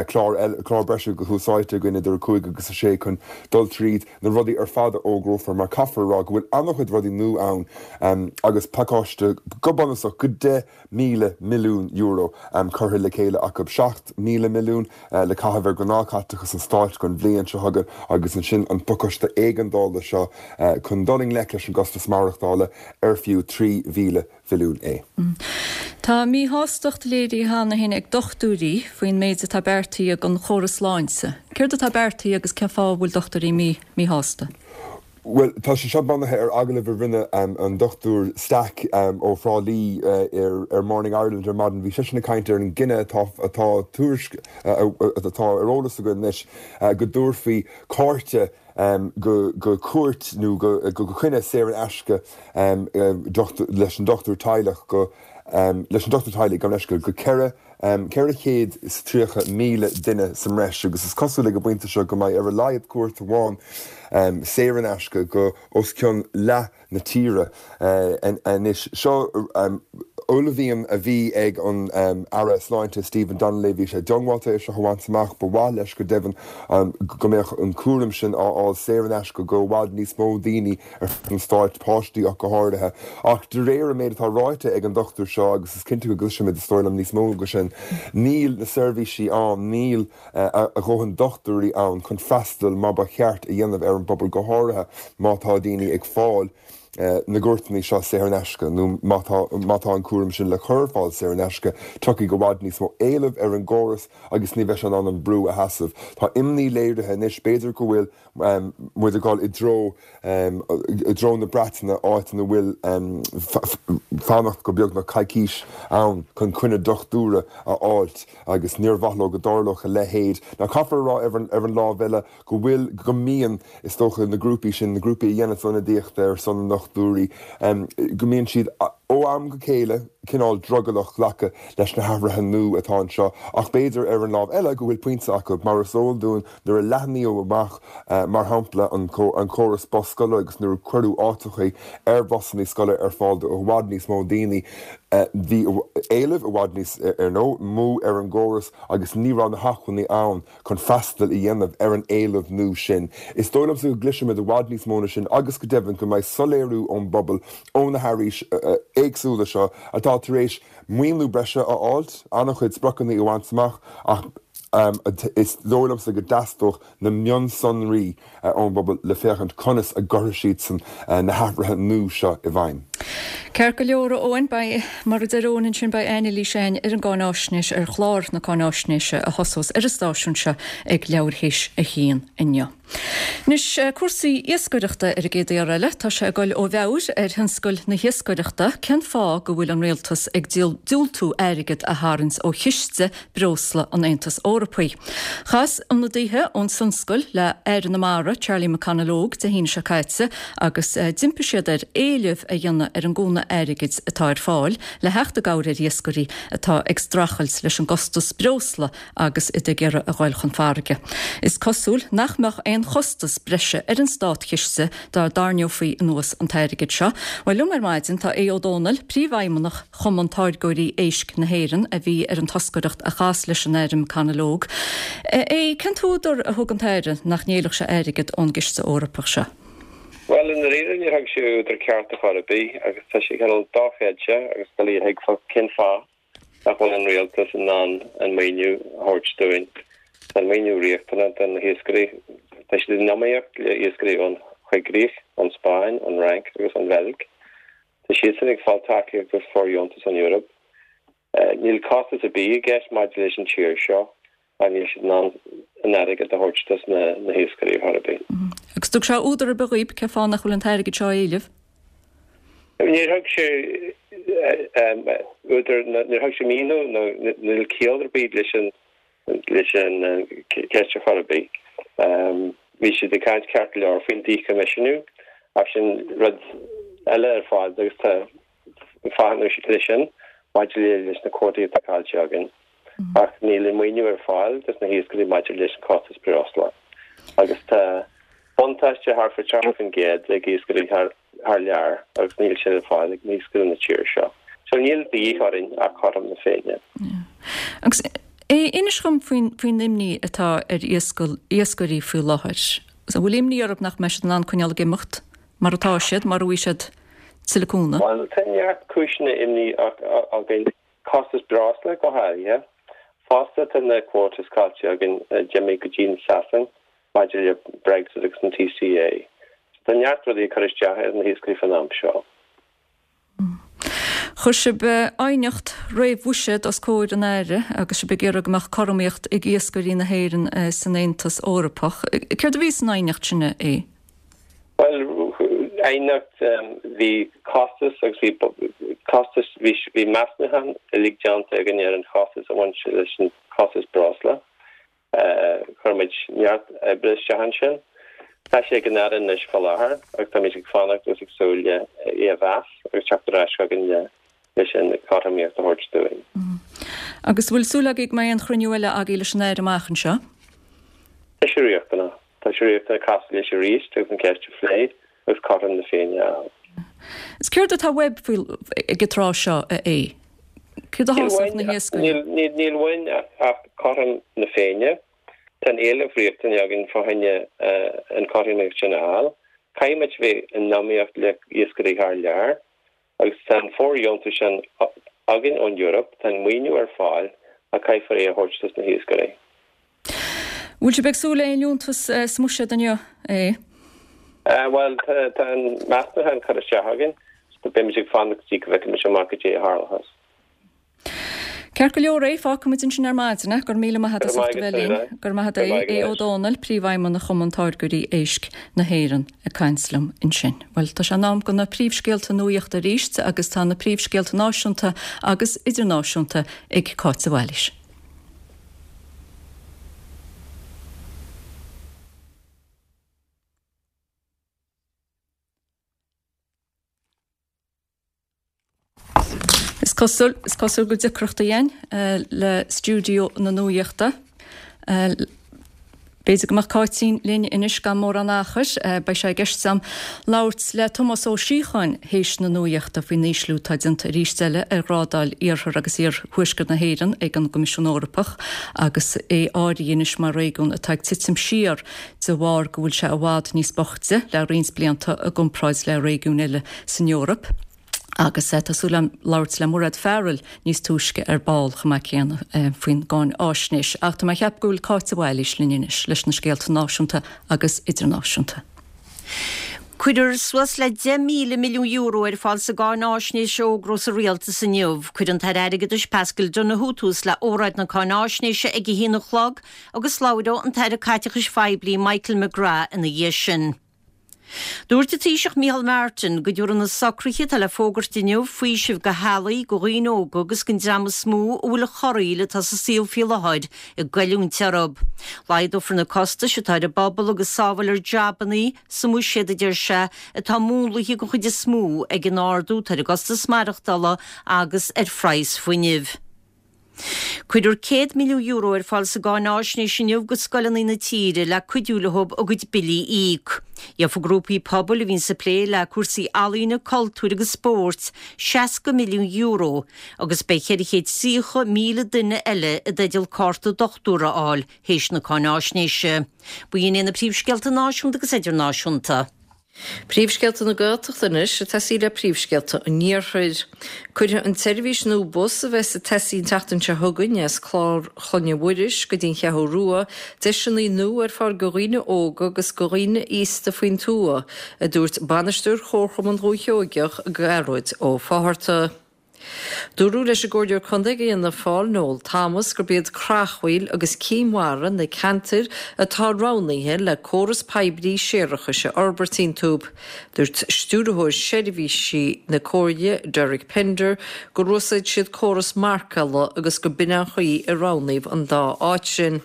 clár eile, clár breise go Tús Áite againn idir 5 agus 6 chun dul tríd na rudaí ar fad a fhógrófar mar caithfear a rá go bhfuil an-chuid rudaí nua ann agus pacáiste go bunúsach go €10,000 milliún curtha le chéile acu, 7,000 milliún le caitheamh ar ghnáthchaiteachas an stáit don bhliain seo chugainn agus ansin an pacáiste éigeandála seo chun dul i ngleic leis an gcostas maireachtála ar fiú 3,000 mhilliún é. Tá míshástacht léirithe cheana féin ag dochtúirí faoin méid atá beartaithe don chóras sláinte. Céard atá beartaithe agus cén fáth a bhfuil dochtúirí míshásta? Bhuel, tá sé seo bunaithe ar agallamh a rinne an Dr Stack ó Thrá Lí ar Morning Ireland ar maidin. Bhí seisean ag caint ar an gcinneadh atá atá tuairisc atá ar eolas againn anois go dtabharfaí cárta go cuairt nó go coinne saor in aisce leis an dochtúir teaghlach go leis an dochtúir teaghlaigh gabh mo leithscéal go 430,000 duine sa mbreis agus is cosúil ag an bpointe seo go mbeidh ar a laghad cuairt amháin saor in aisce go os cionn leath na tíre anois. Seo uaillmhian a bhí ag an Aire Sláinte Stephen Donnelly. Bhí sé diongbháilte é seo a bhaint amach. Ba mhaith leis go deimhin go mbeadh an cúram sin á fháil saor in aisce go i bhfad níos mó daoine ar fud an stáit, páistí ach go háirithe. Ach de réir an méid atá ráite ag an dochtúir seo, agus is cinnte go gcloisfimid is dóigh liom níos mó de sin, níl na seirbhísí ann, níl a dhóthain dochtúirí ann chun freastal mar ba cheart a dhéanamh ar an bpobal, go háirithe má tá daoine ag fáil na gcuairteanna seo saor in aisce nó má tá má tá an cúram sin le cur ar fáil saor in aisce, tiocfaidh i bhfad níos mó éilimh ar an gcóras agus ní bheidh sé in ann an brú a sheasamh. Tá imní léirithe anois, b'fhéidir go bhfuil muid ag dul i dtreo i dtreo na Breataine, áit ina bhfuil fanacht go beagnach coicís ann chun coinne dochtúra a fháilt agus níor mhaith leo go dtarlódh a leithéid. Now caithfear a rá ar an lámh eile go bhfuil, go mbíonn, is dócha, na grúpaí sin, na grúpaí a dhéananns ionadaíocht ar son na ndochtúirí, go mbíonn siad ó am go chéile cineál drogallach glacadh leis na hathruithe nua atá anseo ach b'fhéidir ar an lámh eile go bhfuil pointe acu mar is eol dúinn Nuair a leathnaíodh amach, mar shampla, an córas bus scoile agus nuair a cuireadh áiteachaí ar bhusanna scoile ar fáil do i bhfad níos mó daoine, bhí éileamh i bhfad níos, ar ndóigh, mó ar an gcóras agus ní raibh na hacmhainní ann chun freastal a dhéanamh ar an éileamh nua sin. Is dóigh liomsa go gcloisfimid i bhfad níos mó ná sin agus go deimhin go mbeidh soiléiriú ón bpobal, ó na hairí éagsúla seo atá tar éis maoiniú breise a fháilt, an-chuid spriocanna a bhaint amach ach is dóigh liomsa go dteastódh na mionsonraí ón bpobal le féachaint conas a gcuirfidh siadsan na hathruithe nua seo i bhfeidhm. Ceart go leor, a Eoin, beidh, mar a deir Eoin ansin, beidh anailís againn ar an gcáináisnéis, ar chlár na cáináisnéise a thosós ar an stáisiún seo ag leathuair théis a haon inniu. Anois, cúrsaí iascaireachta ar an gcéad iarraidh eile. Tá sé ag dul ó mheabhair ar thionscal na hiascaireachta cén fáth go bhfuil an rialtas ag diúltú airgead a tharraingt ó chiste breosla an Aontais Eorpaigh. Chas ionadaithe ón tionscal le Aire na Mara, Charlie McConalogue, Dé hAoine seo caite agus d'impigh siad air éileamh a dhéanamh ar an gcúnamh airgid atá ar fáil le theacht i gcabhair ar iascairí atá ag streachailt leis an gcostas breosla agus iad ag iarraidh a ghoil chun farraige. Is cosúil nach mbeadh aon chostas breise ar an státchiste dá dtarraineofaí anuas an t-airgead seo. Bhuel, liom ar maidin tá Aodh Ó Dónaill, Príomhfheidhmeannach Chumann Táirgeoirí Éisc na hÉireann, a bhí ar an toscaireacht a chas leis an Aire McConalogue. Aodh, cén t-údar a thug an tAire nach n-éileodh sé airgead ón gCiste Eorpach seo? Bhuel, i ndáiríre níor thug sé údar ceart ar chor ar bith agus tá sé cineál dochreidte agus doiligh a thuigbheáil cén fáth nach bhfuil an rialtas in ann an maoiniú a thabhairt dúinn. Tá an maoiniú riachtanach do na hiascairí. Tá siad in iomaíocht le iascairí ón Choigrích, ón Spáinn, ón Fhrainc agus ón Bheilg. Tá siadsan ag fáil tacaíocht agus fóirdheontas ón Eoraip. Níl costas ar bith i gceist maidir leis an tír seo ach níl siad in ann an airgead a thabhairt dos na hiascairí ar chor ar bith. Agus thug sé údar ar bith dhaoib cén fáth nach bhfuil an t-airgead seo á éileamh? Níor thug sé údar, níor thug sé míniú nó níl ciall ar bith leis an leis an cheist ar chor ar bith. Bhí siad ag caint ceart go leor faoin díchoimisiúnú ach sin rud eile ar fad agus tá fáthanna leis sin maidir leis na cuótaí atá caillte againn. Ach níl an maoiniú ar fáil dos na hiascairí maidir leis an costas breosla. Agus tá buntáiste thart fá 30% ag iascairí thar thar lear agus níl sin ar fáil ag iascairí na tíre seo. So níl de dhíth orainn ach cothrom na Féinne. Agus inis dhom faoin faoin imní atá ar iascairí faoi láthair. An bhfuil imní orthu nach mbeidh siad in ann coinneáil ag imeacht mar atá siad, mura bhfaighidh siad tuilleadh cúnamh? Bhuel, tá neart cúiseanna imní againn, costas breosla go háirithe. Fosta tá na quotas caillte againn a d'imigh go dtí an Sasain maidir le Brexit agus an TCA. So tá neart rudaí ag cur isteach ar na hiascairí fán am seo. Chuir sibh aighneacht réamh-bhuiséad os comhair an Aire agus sibh ag iarraidh go mbeadh cothromaíocht ag iascairí na hÉireann san Aontas Eorpach. Céard a bhí san aighneacht sin, a Aodh? Bhuel, aighneacht, bhí costas agus bhí costas, bhí bhí measúnúchán uilig déanta againn ar an chostas a bhain leis an costas breosla. Chuir muid neart oibre isteach ansin. Tá sé ag an Aire anois fá láthair agus táimid ag fanacht agus ag súil le é a mheas agus teacht ar ais chugainn le leis an chothromaíocht a thabhairt dúinn. Agus bhfuil súil agaibh go mbeidh aon chruinniú eile agaibh leis an Aire amach anseo? Tá sé riachtanach. Tá sé riachtanach casadh leis arís agus an cheist a phlé agus cothrom na Féinne a fháil. Is céard atá uaibh faoi ag an tráth seo, a Aodh? Céard a shásódh na hiascairí? Níl uainn ach cothrom na Féinne. Tá an éileamh riachtanach againn fá choinne an chothromaíocht sin a fháil. Caithfidh muid bheith in iomaíocht le iascairí thar lear agus tá an fóirdheontas sin againn ón Eoraip, tá an maoiniú ar fáil ach caithfear é a thabhairt dos na hiascairí. Bhfuil sibh ag súil le aon liúntas sa mbuiséad inniu, a Aodh? Bhuel, tá an measúnúchán curtha isteach againn, so beimid ag fanacht go dtí go bhfeicfimid amach cad é a tharlóchas. Ceart go leor é, fágfaidh muid ansin ar maidin é. Go raibh míle maith agat as ucht a bheith linn. Go raibh maith agat a Aodh. Aodh Ó Dónaill, Príomhfheidhmeannach Chumann Táirgeoirí Éisc na hÉireann ag caint liom ansin. Bhuel, tá sé in am do na príomhscéalta nuaíochta arís agus tá na príomhscéalta náisiúnta agus idirnáisiúnta ag Cáit de Bhailís. Is cosúil, is cosúil go bhfuil deacrachtaí againn le stiúideo na nuaíochta. B'fhéidir go mbeadh Cáitín linn anois gan mórán achair. Beidh sé i gceist agam labhairt le Tomás Ó Síocháin théis na nuaíochta faoin ísliú atá déanta arís eile ar ghrádáil Iarthar agus Iarthuaisceart na hÉireann ag an gCoimisiún Eorpach agus é áirithe anois mar réigiún atá ag titim siar de bharr go bhfuil sé i bhfad níos boichte le roinnt blianta i gcomparáid le réigiúin eile san Eoraip. Agus tá súil agam labhairt le Mairéad Farrell níos túisce ar ball chomh maith céanna faoin gcáinfháisnéis. Ach tá mé ag ceapadh go bhfuil Cáit de Bhailís linn anois leis na scéalta náisiúnta agus idirnáisiúnta. Cuirfear suas le €10,000 milliún ar fáil sa gcáináisnéis a fhógraíodh sa Rialtas inniu. Cuirfidh an tAire Airgeadais Paschal Donohoe tús le óráid na cáináisnéise ag a haon a chlog agus labhróidh an tAire Caiteachais Phoiblí Michael McGrath ina dhiaidh sin. Dúirt an Taoiseach Micheál Martin go dtabharfaidh na socruithe atá le fógairt inniu faoiseamh do theaghlaigh, do dhaoine óga agus don dream is mó a bhfuil an chorraíl atá sa saol faoi láthair ag goilliúint orthu. Laghdófar na costais atá ar an bpobal agus sábhálfar jabannaí sa mbuiséad, a deir sé, atá múnlaithe den chuid is mó ag an ardú atá ar an gcostas maireachtála agus ar phraghas fuinnimh. Cuirfear €100 milliún ar fáil sa gcáináisnéis inniu go scoileanna na tíre le cuidiú leo a gcuid billí a íoc. Gheofaidh grúpaí pobail a bhíonns ag plé le cúrsaí ealaíne, cultúir agus spóirt €60 milliún agus beidh 430,000 duine eile i dteideal cárta dochtúra a fháil théis na cáináisnéise. B'in iad na príomhscéalta náisiúnta agus idirnáisiúnta. Príomhscéalta na Gaeltachta anois ag tosaí le príomhscéalta an Iarthair. Cuirfidh an tseirbhís nua bus a bheas ag tosaí an tseachtain seo chugainn as Clár Chlainne Mhuiris go dtí an Cheathrú Rua deiseanna nua ar fáil go dhaoine óga agus go dhaoine aosta faoin tuath, a dúirt Bainisteoir Chomharchumann Dhúiche Sheoigeach, Gearóid Ó Fátharta. Dúradh leis an gComhairleoir Contae ag Fhianna Fáil, Noel Thomas, gurb iad Creachmhaoil agus Cinn Mhara na ceantair atá roghnaithe le córas poiblí séarachais a fhorbairt iontu. Dúirt Stiúrthóir Seirbhísí na Comhairle, Derek Pender, gur úsáid siad córas marcála agus go b'in an chaoi a roghnaíodh an dá áit sin.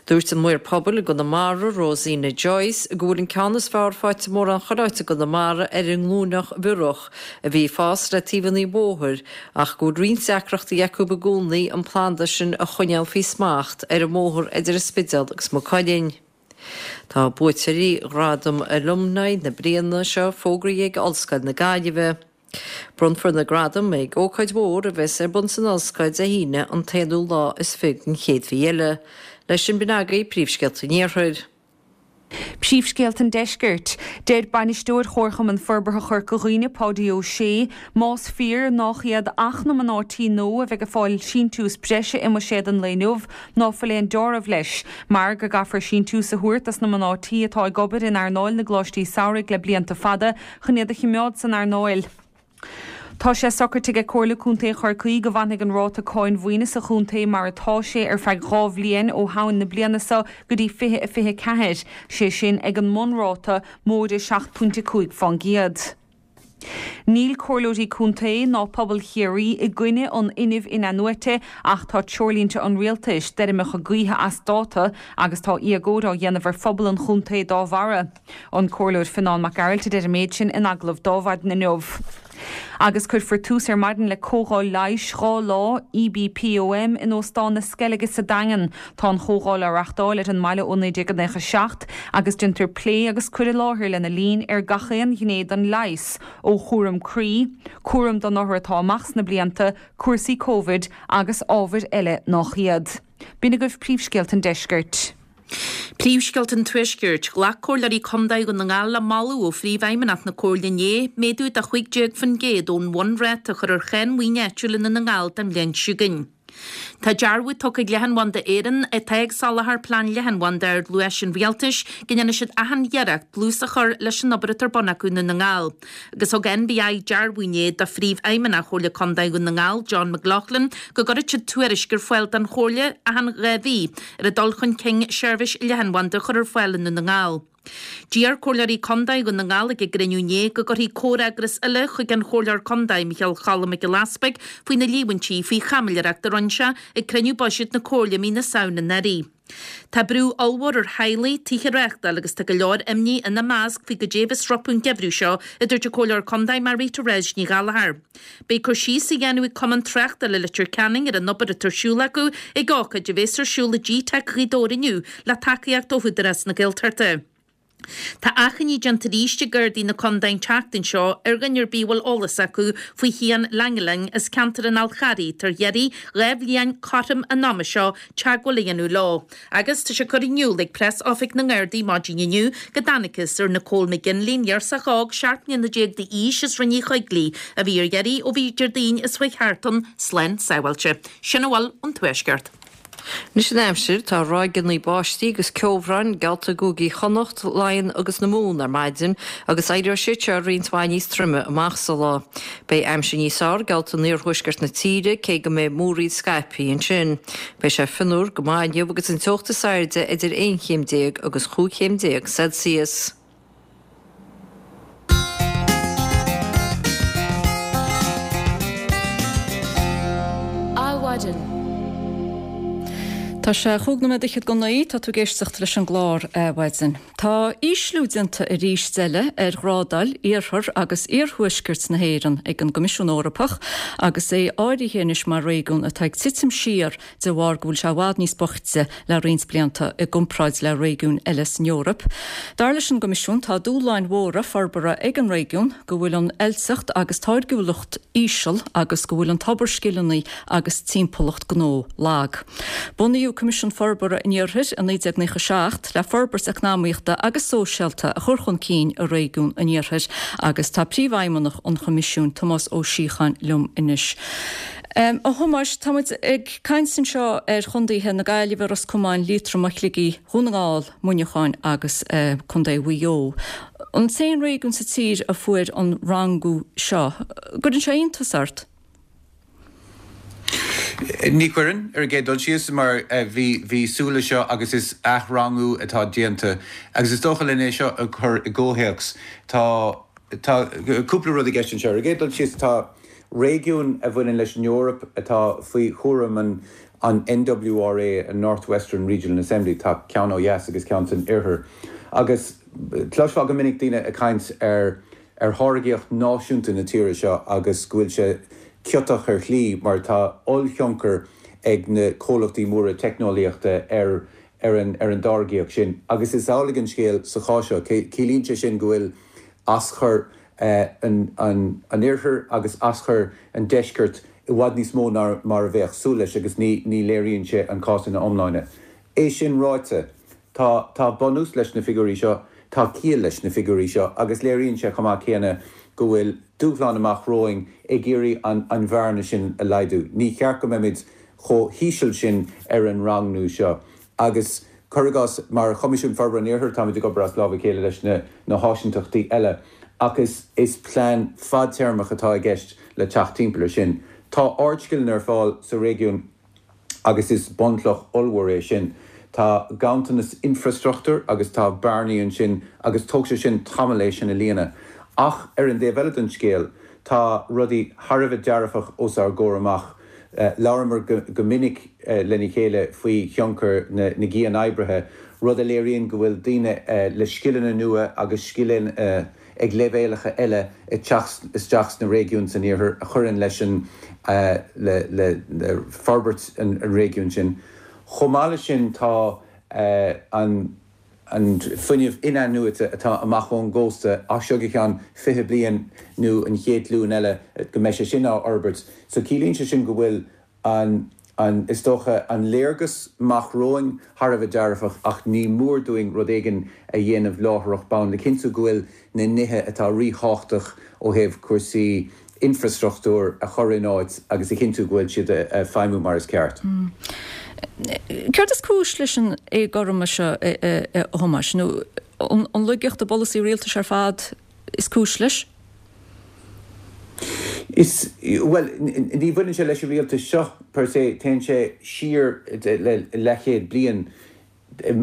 Dúirt an Maor Pobail i gConamara, Rosina Joyce, go bhfuil an ceann is fearr faighte mórán chuile áit i gConamara ar an nglúineach bhiorach a bhí ag fás le taobhanna an bhóthair ach go bhfuil roinnt deacrachtaí acu i gcónaí an planda sin a choinneáil faoi smacht ar an mbóthar idir an Spidéal agus Maigh Cuilinn. Tá buaiteoirí Ghradam Alumni na bliana seo fógraithe ag Ollscoil na Gaillimhe. Bronnfar na gradaim ag ócáid mhór a bheas ar bun san Ollscoil Dé hAoine an t-aonú lá is fiche den chéad mhí eile. Leis sin b'in agaibh príomhscéalta an Iarthair. Príomhscéalta an Deiscirt. Deir Bainisteoir Chomharchumann Forbartha Chorca Dhuibhne, Páidí Ó Sé, más fíor nách iad ach na mná tí nua a bheidh ag fáil síntiús breise i mbuiséad an lae inniu, ná fuil aon deáramh leis, mar go gcaithfear síntiús a thabhairt dos na mná tí atá ag obair in earnáil na gcoláistí samhraidh le blianta fada chun iad a chimeád san earnáil. Tá sé socraite ag Comhairle Contae Chorcaí go bhfanfaidh an ráta cáin mhaoine sa chontae mar atá sé ar feadh 2 bhliain ó Shamhain na bliana seo go dtí 2024, sé sin ag an mbunráta, móide 7.5 fán gcéad. Níl Comhairleoirí Contae ná pobal Chiarraí i gcoinne an fhuinnimh in-athnuaite ach tá treoirlínte an Rialtais d'fheirmeacha gaoithe as dáta agus tá éagóir á dhéanamh ar phobal an chontae dá bharra. An Comhairleoir Fionán Mac Gearailt a deir an méid sin in agallamh d'Adhmhaidin inniu. Agus cuirfear tús ar maidin le comhdháil leighis 2 lá, EBPOM, in Óstán na Sceilge sa Daingean. Tá an chomhdháil á reachtáil ar an mbaile ó 1997 agus déantar plé agus cur i láthair lena linn ar gach aon ghné den leigheas, ó chúram croí, cúram don othar atá amach sna blianta, cúrsaí Covid agus ábhair eile nách iad. B'in agaibh príomhscéalta an deiscirt. Príomhscéalta an Tuaiscirt. Ghlac Comhairleoirí Contae Dhún na nGall le moladh ó Phríomhfheidhmeannach na Comhairle inné, méadú de 15% ón bhunráta a chur ar cháin mhaoine áitiúil i nDún na nGall don bhliain seo chugainn. Tá dearbhú tugtha ag Leathanbhanda Éireann, atá ag soláthar plean leathanbhanda ar dluais an Rialtais, go ndéanfaidh siad achan iarracht dlús a chur leis an obair atá ar bun acu i nDún na nGall. Agus thug NBI dearbhú inné do Phríomhfheidhmeannach Chomhairle Contae Dhún na nGall, John McLaughlin, go gcuirfidh siad tuairisc ar fáil don Chomhairle achan 2 mhí ar an dul chun cinn seirbhís leathanbhanda a chur ar fáil i nDún na nGall. D'iarr Comhairleoirí Contae Dhún na nGall ag a gcruinniú inné go gcuirfí comhfhreagras uile chuig an Chomhairleoir Contae, Micheál Cholm Mac Giolla Easpaig, faoi na líomhaintí faoi chaimiléireacht a rinne sé ag cruinniú buiséid na Comhairle mí na Samhna anuraidh. Tá brú ollmhór ar theaghlaigh tithe a reáchtáil agus tá go leor imní ina measc faoi goidé a bheas rompu an geimhreadh seo, a dúirt an Comhairleoir Contae Marie-Thérèse Ní Ghallchóir. Beidh cur síos á dhéanamh ag Cumann Tráchtála Leitir Ceanainn ar an obair atá ar siúl acu ag ócáid a bheas ar siúl i GTeic Ghaoth Dobhair inniu le tacaíocht ó Údarás na Gaeltachta. Tá achainí déanta arís ag Gardaí na Condae an tseachtain seo ar dhuine ar bith a bhfuil eolas acu faoi Chian Langeling as ceantar an Fhál Charraigh tar iarraidh 2 bhliain cothrom an ama seo teagmháil a dhéanamh leo. Agus tá sé curtha in iúl ag Preas Oifig na nGardaí maidin inniu go dtángthas ar Nicole McGinley, an ghirseach óg 17 mbliana d'aois as Rinn Uí Choigligh a bhí ar iarraidh ó bhí Déardaoin is chuaigh thart ann slán sábháilte. Sin a bhfuil ón Tuaisceart. Anois an aimsir, tá ráigeanna báistí agus ceobhráin geallta i gcúigí Chonnacht, Laighean agus na Mumhan ar maidin agus éireoidh siad seo roinnt mhaith níos troime amach sa lá. Beidh aimsir níos fearr geallta in iarthuaisceart na tíre cé go mbeidh múraíl scaipthe ansin. Beidh sé fionnuar go maith inniu agus an teocht is airde idir 11 chéim agus 15 chéim Celsius. Adhmhaidin. Tá sé chúig nóiméad fhichead go naoi, tá tú ag éisteacht leis an gclár Adhmhaidin. Tá ísliú déanta arís eile ar ghrádáil iarthar agus iarthuaisceart na hÉireann ag an gCoimisiún Eorpach agus é áirithe anois mar réigiún atá ag titim siar de bharr go bhfuil sé i bhfad níos boichte le roinnt blianta i gcomparáid le réigiúin eile san Eoraip. Dar leis an gCoimisiún, tá dúshláin mhóra forbartha ag an réigiún, go bhfuil an oilteacht agus táirgiúlacht íseal agus go bhfuil an tobar scileanna agus timpeallacht gnó lag. Bunaíodh Coimisiún Forbartha an Iarthair i 1997 le forbairt eacnamaíochta agus sóisialta a chur chun cinn i réigiún an Iarthair agus tá Príomhfheidhmeannach an Choimisiúin, Tomás Ó Síocháin, liom anois. A Thomáis, tá muid ag caint anseo ar chondaetha na Gaillimhe, Ros Comáin, Liatroma, Shligigh, Dhún na nGall, Muineacháin agus Contae Mhaigh Eo. An t-aon réigiún sa tír a fuair an rangú seo. Gcuireann sé iontas ort? Ní chuireann, ar an gcéad dul síos, mar bhí bhí súil leis seo agus is athrangú atá déanta. Agus is dócha len é seo a chur i gcomhthéacs, tá tá cúpla rud i gceist anseo. Ar an gcéad dul síos, tá Réigiún a bhaineann leis an Eoraip atá faoi chúram an NWRA, an North Western Regional Assembly, tá ceann ó dheas agus ceann san oirthear. Agus cloisfeá go minic daoine ag caint ar ar tháirgíocht náisiúnta na tíre seo agus go bhfuil sé ciotach ar shlí mar tá ollthionchar ag na comhlachtaí móra teicneolaíochta ar ar an ar an dtáirgíocht sin. Agus is amhlaidh an scéal sa chás seo. Ciallaíonn sé sin go bhfuil aschur an oirthir agus aschur an deiscirt i bhfad níos mó ná mar a bheadh súil leis agus ní léiríonn sé an cás ina iomláine. É sin ráite, tá tá bunús leis na figiúirí seo, tá ciall leis na figiúirí seo agus léiríonn sé chomh maith céanna go bhfuil dúshlán amach romhainn ag iarraidh an an bhearna sin a laghdú. Ní cheart go mbeimid chomh híseal sin ar an rangnú seo agus Cuir i gcás, mar Choimisiún Forbartha an Iarthair, táimid ag obair as lámh a chéile leis na háisinteachtaí eile ach is plean fadtéarmach atá i gceist le teacht timpeall air sin. Tá ardscileanna ar fáil sa réigiún agus is bunchloch ollmhór é sin. Tá ganntanas infreastruchtúir agus tá bearnaí ansin agus tógfaidh sé sin tamall é sin a líonadh. Ach ar an dtaobh eile den scéal, tá rudaí thar a bheith dearfach os ár gcomhair amach. Labhramar go minic lena chéile faoi thionchar na gcian-oibrithe, rud a léiríonn go bhfuil daoine le scileanna nua agus scileanna ag leibhéalacha eile ag teacht isteach sna réigiúin san iarthar a chuireann leis an le forbairt an réigiúin sin. Chomh maith leis sin tá an an fuinneamh in-athnuaite atá amach ón gcósta as seo go ceann 20 bliain nó an chéad ghlúin eile go mbeidh sé sin á fhorbairt. So ciallaíonn sé sin go bhfuil an, an, is dócha, an léargas amach romhainn thar a bheith dearfach ach ní mór dúinn rud éigin a dhéanamh láithreach bonn le cinntiú go bhfuil na nithe atá ríthábhachtach ó thaobh cúrsaí infreastruchtúir a chur in áit agus a chinntiú go bhfuil siad ag feidhmiú mar is ceart. Céard is cúis leis an éagothroime seo, a Thomáis? Nó an laigeacht i bpolasaí rialtais ar fad is cúis leis? Is, bhuel, ní bhaineann sé leis an rialtas seo per se, téann sé siar le leathchéad bliain.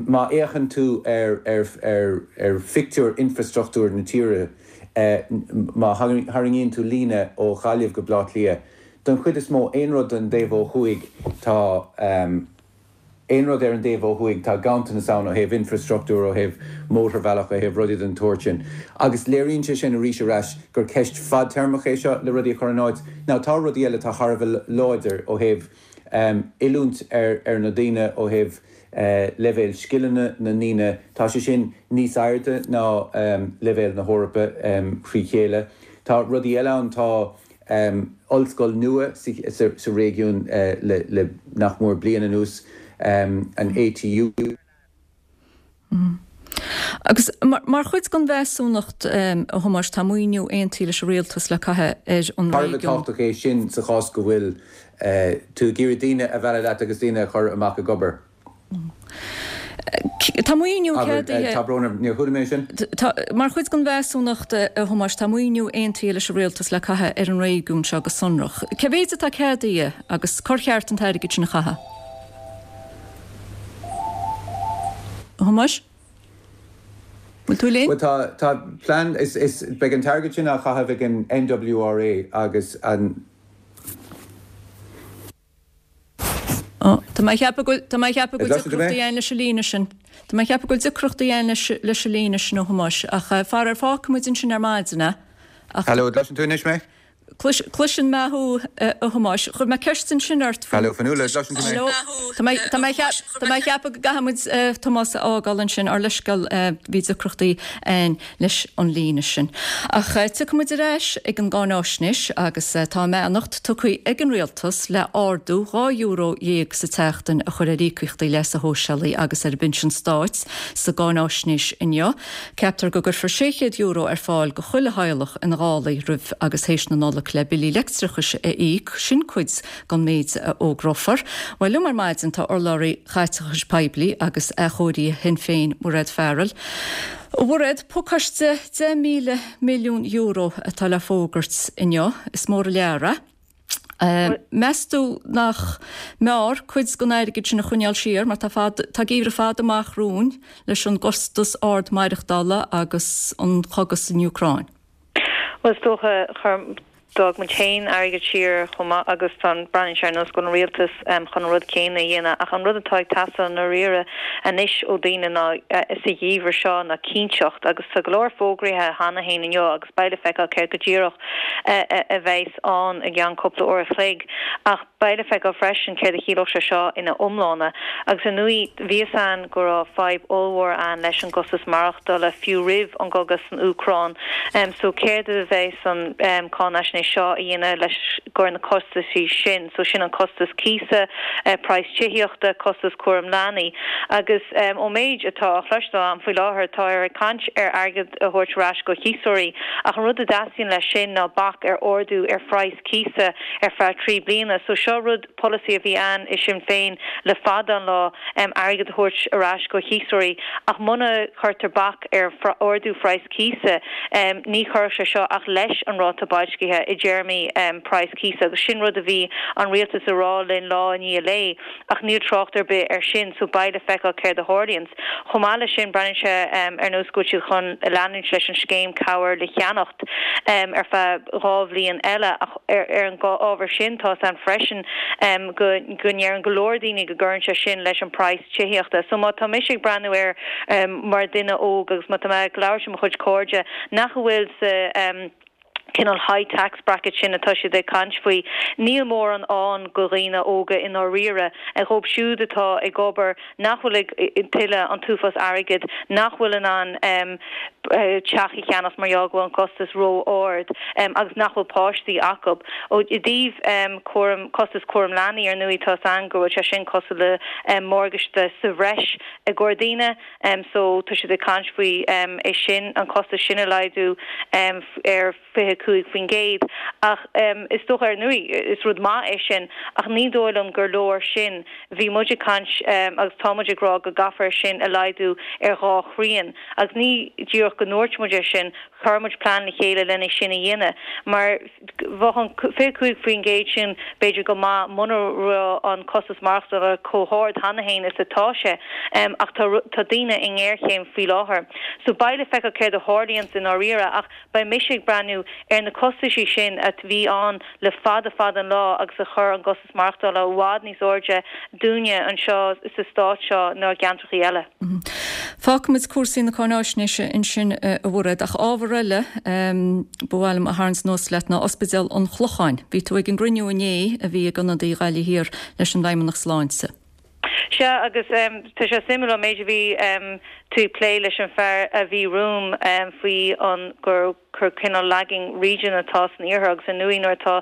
Má fhéachann tú ar phictiúr infreastruchtúir na tíre, má tharraingíonn tú líne ó Ghaillimh go Baile Átha Cliath, don chuid is mó, aon rud don dtaobh ó thuaidh, tá aon rud ar an dtaobh ó thuaidh, tá ganntanas ann ó thaobh infreastruchtúir, ó thaobh mótarbhealach, ó thaobh rudaí den tsórt sin. Agus léiríonn sé sin arís ar ais gur ceist fadtéarmach é seo le rudaí a chur in áit. Now tá rudaí eile atá thar a bheith láidir ó thaobh oiliúint ar na daoine ó thaobh leibhéal scileanna na ndaoine, tá sé sin níos airde ná leibhéal na hEorpa thrí chéile. Tá rudaí eile ann, tá ollscoil nua sa réigiún le nach mór bliain anuas, an ATU. Agus mar chuid den mheasúnacht, a Thomáis, tá maoiniú aontaithe leis an rialtas le caitheamh ar an réigiún. Thar a bheith tábhachtach é sin sa chás go bhfuil. Tú ag iarraidh daoine a mhealladh leat agus daoine a chur amach ag obair. Tá maoiniú ceadaithe. Tá brón orm, níor chuala mé sin. Tá, mar chuid den mheasúnacht, a Thomáis, tá maoiniú aontaithe leis an Rialtas le caitheamh ar an réigiún seo go sonrach. Cé mhéid atá ceadaithe agus cár cheart an t-airgead sin a chaitheamh? A Thomáis? Bhfuil tú linn? Bhuel tá, tá plean, is, is, beidh an t-airgead sin á chaitheamh ag an NWRA agus an. Tá mé ag ceapadh go bhfuil, tá mé ag ceapadh go bhfuil deacrachtaí againn leis an líne sin. Tá mé ag ceapadh go bhfuil deacrachtaí againn leis, leis an líne sin, a Thomáis, ach faraor fágfaidh muid ansin ar maidin é. Ach. Hello, an gcloiseann tú anois mé? Clois, cloiseann mé thú, a Thomáis. Chuir mé ceist ansin ort faoi. Hello, Fionnuala, an gcloiseann tú mé? Hello. Tá mé, tá mé ag ceap, tá mé ag ceapadh go gcaithfidh muid Tomás a fhágáil ansin, ár leithscéal, bhí deacrachtaí againn leis an líne sin. Ach tiocfaidh muid ar ais ag an gcáináisnéis agus tá a mbeannacht tugtha ag an Rialtas le ardú €12 sa tseachtain a chur ar íocaíochtaí leasa shóisialaigh agus ar an bpinsean stáit sa gcáináisnéis inniu. Ceaptar go gcuirfear €600 ar fáil go chuile theaghlach ina dhálaí roimh agus théis na Nollag le billí leictreachais a íoc, sin cuid den méid a fhógrófar. Bhuel, liom ar maidin tá urlabhraí Chaiteachais Poiblí agus Athchóirithe Shinn Féin, Mairéad Farrell. A Mhairéad, pacáiste €10,000 milliún atá le fógairt inniu. Is mór an lear é. Meas tú nach mb'fhearr cuid den airgead sin a choinneáil siar mar tá fad, tá geimhreadh fada amach romhainn leis an gcostas ard maireachtála agus an cogadh san Úcráin? Bhuel, is dócha, chuir, d'fhág muid féin airgead siar chomh maith agus tá an, breathnaíonn sé ar nós go bhfuil an rialtas chun an rud céanna a dhéanamh ach an rud atá ag teastáil i ndáiríre anois ó daoine ná, sa gheimhreadh seo, ná cinnteacht agus tá go leor fógraithe cheana féin inniu agus beidh le feiceáil céard go díreach a bheas ann i gceann cúpla uair a chloig ach beidh le feiceáil freisin céard a chiallódh sé seo ina iomláine. Agus ar ndóigh, bhí fhios a'inn go raibh fadhb ollmhór a'inn leis an gcostas maireachtála fiú roimh an gcogadh san Úcráin. So céard a bheas an cáinaisnéis seo a dhéanamh leis gcur na costaisí sin? So sin an costas cíosa, praghas tithíochta, costas cúram leanaí. Agus ón méid atá á chloisteáil a'm faoi láthair, táthar ag caint ar airgead a thabhairt ar ais go chíosóirí ach an rud a dteastaíonn leis sin ná bac ar ardú ar phraghas cíosa ar feadh 3 bliana. So seo rud, polasaí a bhí a'inn i Sinn Féin le fada an lá, airgead a thabhairt ar ais go chíosóirí ach muna chuirtear bac ar ardú phraghas cíosa, ní chuirfeadh sé seo ach leis an ráta boilscithe i dtéarmaí praghas cíosa agus sin rud a bhí an rialtas a rá linn lá i ndiaidh lae. Ach níl trácht ar bith air sin so beidh le feiceáil céard a tharlaíonns. Chomh maith leis sin, breathnaíonn sé ar nós go bhfuil siad chun leanúint leis an scéim cabhair le cheannacht ar feadh 2 bhliain eile ach ar an ábhar sin tá 's a'inn freisin go go ndeireann go leor daoine go gcuireann sé sin leis an praghas tithíochta. So má tá mise ag breathnú air mar dhuine óg agus má tá mé ag labhairt le mo chuid cairde nach bhfuil sa cineál high tax bracket sin atá siad ag caint faoi. Níl mórán ann go dhaoine óga i ndáiríre. Dhóibh siúd atá ag obair, nach bhfuil ag tuilleadh an t-uafás airgid, nach bhfuil in ann teach a cheannacht mar gheall go bhfuil an costas ró-ard agus nach bhfuil páistí acu. Ó i dtaobh cúram, costas cúram leanaí ar ndóigh tá 's a'inn go bhfuil sé sin cosúil le morgáiste sa bhreis i gcomhair daoine. So tá siad ag caint faoi é sin, an costas sin a laghdú ar 25%. Ach is dócha, ar ndóigh, is rud maith é sin, ach ní dóigh liom gur leor sin. Bhí muid ag caint agus tá muid ag rá go gcaithfear é sin a laghdú ar dhá thrian. Agus ní díreach go ndúirt muid é sin, chuir muid plean le chéile lena sin a dhéanamh. Mar. Bheadh an 25% sin b'fhéidir go maith muna raibh an costas maireachtála chomh hard cheana féin is atá sé ach tá tá daoine i ngéarchéim faoi láthair. So beidh le feiceáil céard a tharlaíonns i ndáiríre ach beidh mise ag breathnú ar na costaisí sin a bhí ann le fada fada an lá agus a chuir an gcostas maireachtála i bhfad níos airde dúinne anseo sa stát seo ná i gceantrachaí eile. Fágfaimid cúrsaí na cáináisnéise ansin a Mhairéad, ach ábhar eile ba mhaith liom a tharraingt anuas leat ná Ospidéal an Chlocháin. Bhí tú ag an gcruinniú inné a bhí ag ionadaí Ghaillimh Thiar leis an bhFeidhmeannach Sláinte. Sea, agus tá sé suimiúil an méid a bhí. tú ag plé leis an fear a bhí romham faoi an gur gur cineál lagging region atá san iarthar agus ar ndóigh nuair atá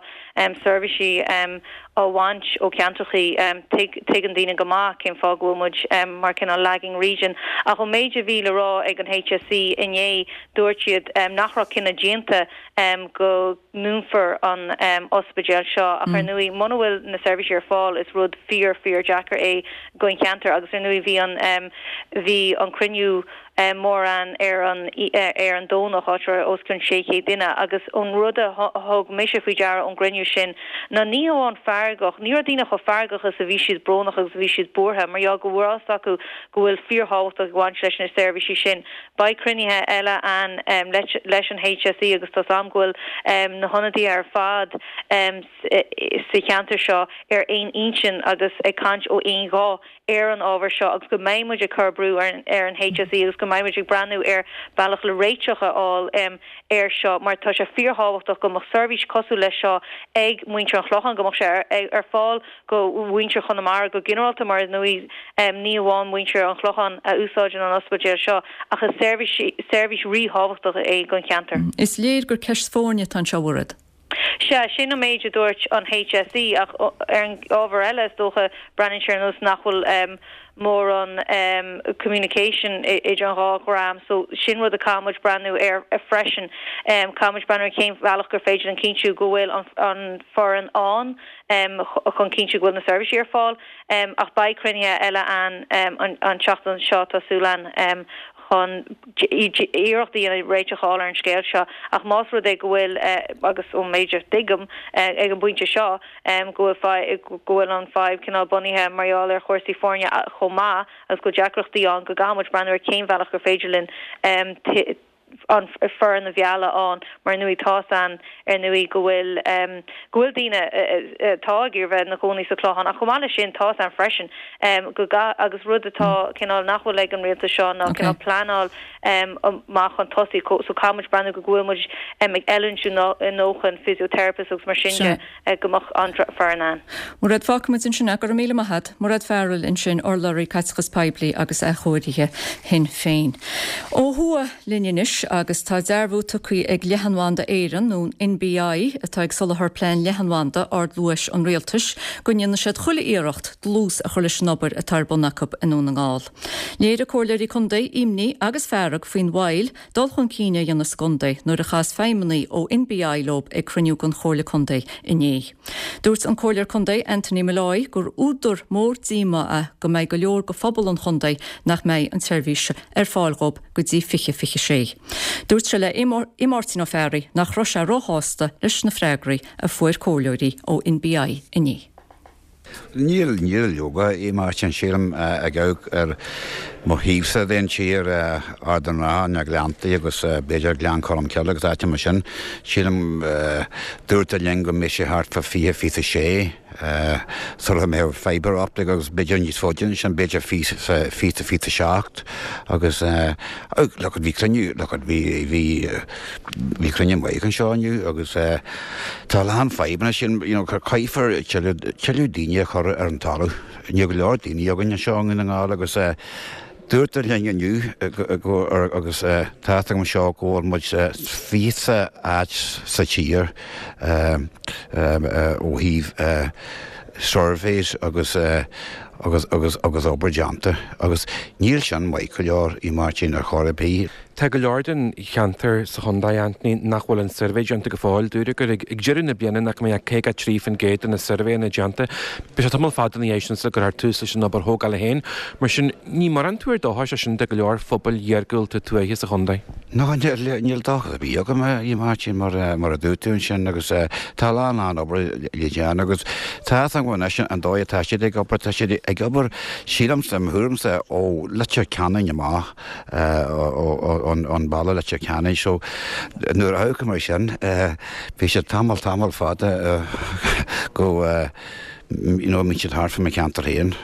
seirbhísí á bhaint ó cheantrachaí tuigeann daoine go maith cén fáth go bhfuil muid mar cineál lagging region. Ach ón méid a bhí le rá ag an HSE inné dúirt siad nach raibh cinneadh déanta go ndúnfar an ospidéal seo ach ar ndóigh muna bhfuil na seirbhísí ar fáil is rud fíor fíor deacair é don cheantar agus ar ndóigh bhí an bhí an cruinniú mór ann ar an ar an Domhnach áit a raibh os cionn 600 duine agus an rud a thug mise faoi deara ón gcruinniú sin ná ní hamháin feargach ní raibh daoine chomh feargach is a bhí siad brónach agus a bhí siad buartha mar gheall go bhfuil fhios acu go bhfuil fíorthábhachtach ag baint leis na seirbhísí sin. Beidh cruinnithe eile ann leis an HSE agus tá's a'm go bhfuil na hionadaithe ar fad sa cheantar seo ar aon intinn agus ag caint ó aon ghuth ar an ábhar seo agus go mbeidh muid ag cur brú ar an HSE agus go mbeidh muid ag breathnú ar bealach le réiteach a fháil air seo mar tá sé fíorthábhachtach go mbeadh seirbhís cosúil leis seo ag muintir an Chlocháin, go mbeadh sé ar fáil go mhuintir Chonamara go ginearálta mar ar ndóigh ní amháin muintir an Chlocháin a úsáideann an ospidéal seo ach is seirbhís ríthábhachtach é don cheantar. Is léir gur ceist foirne atá anseo, a Mhairéad. Sea, sin an méid a dúirt an HSE ach ar an ábhar eile is dócha breathnaíonn sé ar nós nach bhfuil mórán communication idir an dhá dhream so sin rud a caithfidh muid breathnú air freisin. Caithfidh muid breathnú ar cén bhealach gur féidir linn cinntiú go bhfuil an foireann ann chun cinntiú go bhfuil na seirbhísí ar fáil. Ach beidh cruinnithe eile ann an tseachtain seo, tá súil againn, chun iarracht a dhéanamh réiteach a fháil ar an scéal seo. Ach más rud é go bhfuil, agus ón méid a thuigim ag an bpointe seo, go bhfuil go bhfuil an fadhb cineál bunaithe mar gheall ar chúrsaí foirne chomh maith agus go bhfuil deacrachtaí ann, go gcaithfidh muid breathnú ar cén bhealach gur féidir linn an foireann a mhealladh ann mar ar ndóigh tá's a'inn ar ndóigh go bhfuil go bhfuil daoine atá ag iarraidh bheith ina gcónaí sa Chlochán ach chomh maith leis sin tá's a'inn freisin go gcaith agus rud atá cineál nach bhfuil ag an rialtas seo ná cineál pleanáil amach chun tosaigh so caithfidh muid breathnú go bhfuil muid ag oiliúint ár ndóthain physiotherapists agus mar sin de. go mbeadh an foireann ann. Mairéad, fágfaidh muid ansin é. Go raibh míle maith agat. Mairéad Farrell ansin, urlabhraí Caiteachas Poiblí agus Athchóirithe Shinn Féin. Ó thuaidh linn anois agus tá dearbhú tugtha ag Leathanbhanda Éireann, nó NBI, atá ag soláthar plean leathanbhanda ardluais an rialtais, go ndéanfaidh siad chuile iarracht dlús a chur leis an obair atá ar bun acu i nDún na nGall. Léirigh comhairleoirí contae imní agus fearg faoin mhoill dul chun cinn a dhéanamh sa gcontae nuair a chas feidhmeannaigh ó NBI leo ag cruinniú den Chomhairle Contae inné. Dúirt an Comhairleoir Contae Anthony Molloy gur údar mór díomá é go mbeidh go leor de phobal an chontae nach mbeidh an tseirbhís ar fáil dhóibh go dtí 2026. Dúirt sé le Máirtín Ó Fearraigh nach raibh sé róshásta leis na freagraí a fuair comhairleoirí ó NBI inné. Níl, níl leoga, a Mháirtín, sílim, ag amharc ar mo thaobhsa den tír, Ard an Rátha, na Gleanntaí agus b'fhéidir Gleann Cholm Cille agus áiteanna mar sin. Sílim, dúrtar linn go mbeidh sé thart fá 20, 26 sula mbeadh fibre optic agus b'fhéidir níos faide ná sin, b'fhéidir 20, 27 agus look, bhí cruinniú, look, bhí, bhí, Bhí cruinniú maith anseo inniu agus tá a lán fadhbanna sin, you know, caithfear tuilleadh, tuilleadh daoine a chur ar an talamh. Níl go leor daoine againn anseo i nDún na nGall agus dúrtar linn inniu go, agus tá a fhios agam seo go bhfuil muid fichead áit sa tír ó thaobh surveys agus agus agus agus obair déanta agus níl sin maith go leor, a Mháirtín, ar chor ar bith. Tá go leor den cheantar sa chontae, Anthony, nach bhfuil an suirbhé déanta go fóill. Dúradh gur ag deireadh na bliana nach mbeadh 53% de na suirbhéanna déanta. Beidh sé tamall fada ina dhiaidh sin sula gcuirfear tús leis an obair thógála féin. Mar sin, ní mórán tuar dóchais é sin do go leor phobail iargúlta tuaithe sa chontae. No, níl dóchas ar bith agam, a Mháirtín, mar a dúirt tú ansin agus tá a lán, lán obair le déanamh agus tá a fhios agam anois an dóigh atá siad ag obair, tá siad ag obair, sílimse, mo thuairimse, ó Leitir Ceanainn amach. ón bhaile Leitir Ceanainn so nuair a amharcaim air sin bhí siad tamall tamall fada go you know mbíonn siad thart fá mo cheantar féin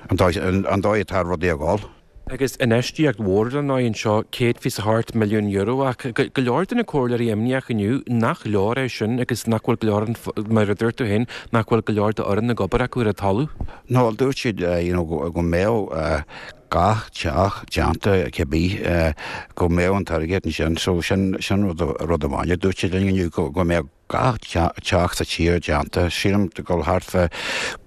an dóigh atá rudaí ag dul. Agus infheistíocht mhór ar ndóigh anseo, €128 milliún ach go leor de na comhairleoirí imníoch inniu nach leor é sin agus nach bhfuil go leor, mar a dúirt tú féin, nach bhfuil go leor d'fhoireann ag obair acu ar an talamh. No, dúirt siad you know go mbeadh. gach teach déanta cibé go mbeadh an t-airgead ansin so sin sin rud rud amháin a dúirt siad linn inniu go go mbeadh gach teach sa tír déanta sílim go bhfuil thart fá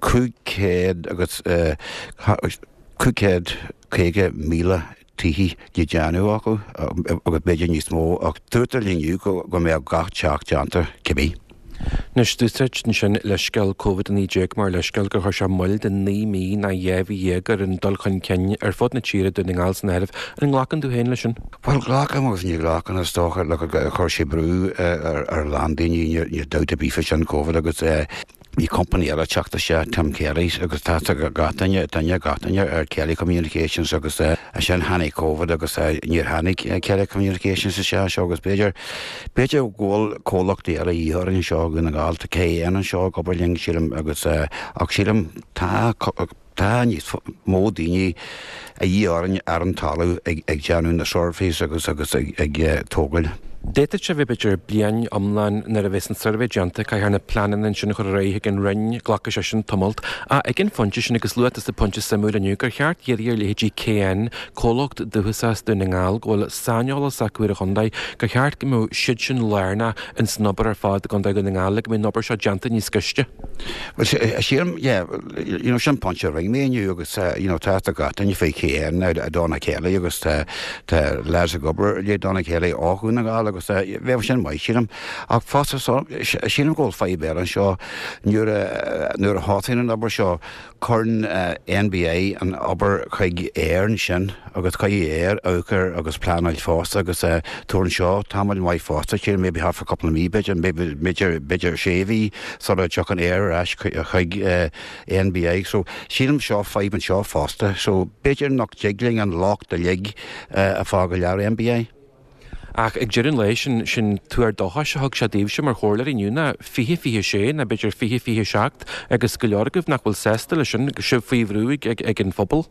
500 agus 550,000 tithe le déanamh acu agus b'fhéidir níos mó ach dúrtar linn inniu go mbeadh gach teach déanta cibé. Anois, d'úsáid ansin leithscéal Covid-19 mar leithscéal gur chuir sé moill de 9 mí ná 2 mhí ar an dul chun cinn ar fud na tíre, Dún na nGall san áireamh. An nglacann tú féin leis sin? Bhuel, glacaim agus ní ghlacaim, is dócha. Look, chuir sé brú ar a lán daoine, níl dabht ar bith faoi sin, Covid agus Bhí company eile ag teacht isteach, Tim Kelly's, agus tá a fhios ag gach duine, duine, gach duine ar Kelly Communications agus ansin tháinig Covid agus níor tháinig Kelly Communications isteach anseo agus b'fhéidir, b'fhéidir go bhfuil comhlachtaí eile a dhíth orainn anseo i Dhún na nGall, tá KN anseo ag obair linn sílim agus ach sílim tá, Tá níos mó daoine a dhíth orainn ar an talamh ag déanamh na surveys agus agus ag tógáil. D'fhéadfadh sé a bheith b'fhéidir bliain iomlán nuair a bheas an suirbhé déanta, caithfear na pleananna ansin a chur ar aghaidh chuig an Roinn, glacfaidh sé sin tamalt. Ach ag an phointe sin, agus luaigh tusa pointe suimiúil inniu, gur cheart iarraidh ar leithéidí KN, comhlacht dúchasach as Dún na nGall, go bhfuil saineolas acu ar an chontae, gur cheart go mbeadh siad sin lárnach ins an obair ar fad i gContae Dhún na nGall le go mbeidh an obair seo déanta níos gaiste. Bhuel, sílim, yeah, you know, sin pointe a rinne mé inniu agus, you know, tá a fhios ag gach duine faoi KN, Donagh Kelly agus tá, tá lads ag obair le Donagh Kelly ó Dhún na nGall agus bheadh sin maith, sílim. Ach fosta, sílim go bhfuil fadhb eile anseo, nuair a, nuair a thosaíonn an obair seo, Cuireann NBI an obair chuig Eir ansin agus caithfidh Eir amharc air agus pleanáil fosta agus tabharann seo tamall maith fosta, sílim maybe thart fá cúpla mí b'fhéidir, maybe b'fhéidir b'fhéidir sé mhí sula dtiocfaidh Eir ar ais chuig NBI. So sílim seo fadhb anseo fosta. So b'fhéidir nach dtig linn an locht uilig a fhágáil ar NBI. Ach ag deireadh an lae, sin, sin tuar dóchais a thug sé daoibhse mar chomhairleoirí inniu ná 2026 ná b'fhéidir 2027 agus go leor agaibh nach bhfuil sásta leis sin, sibh faoi bhrú ag, ag, ag an phobal.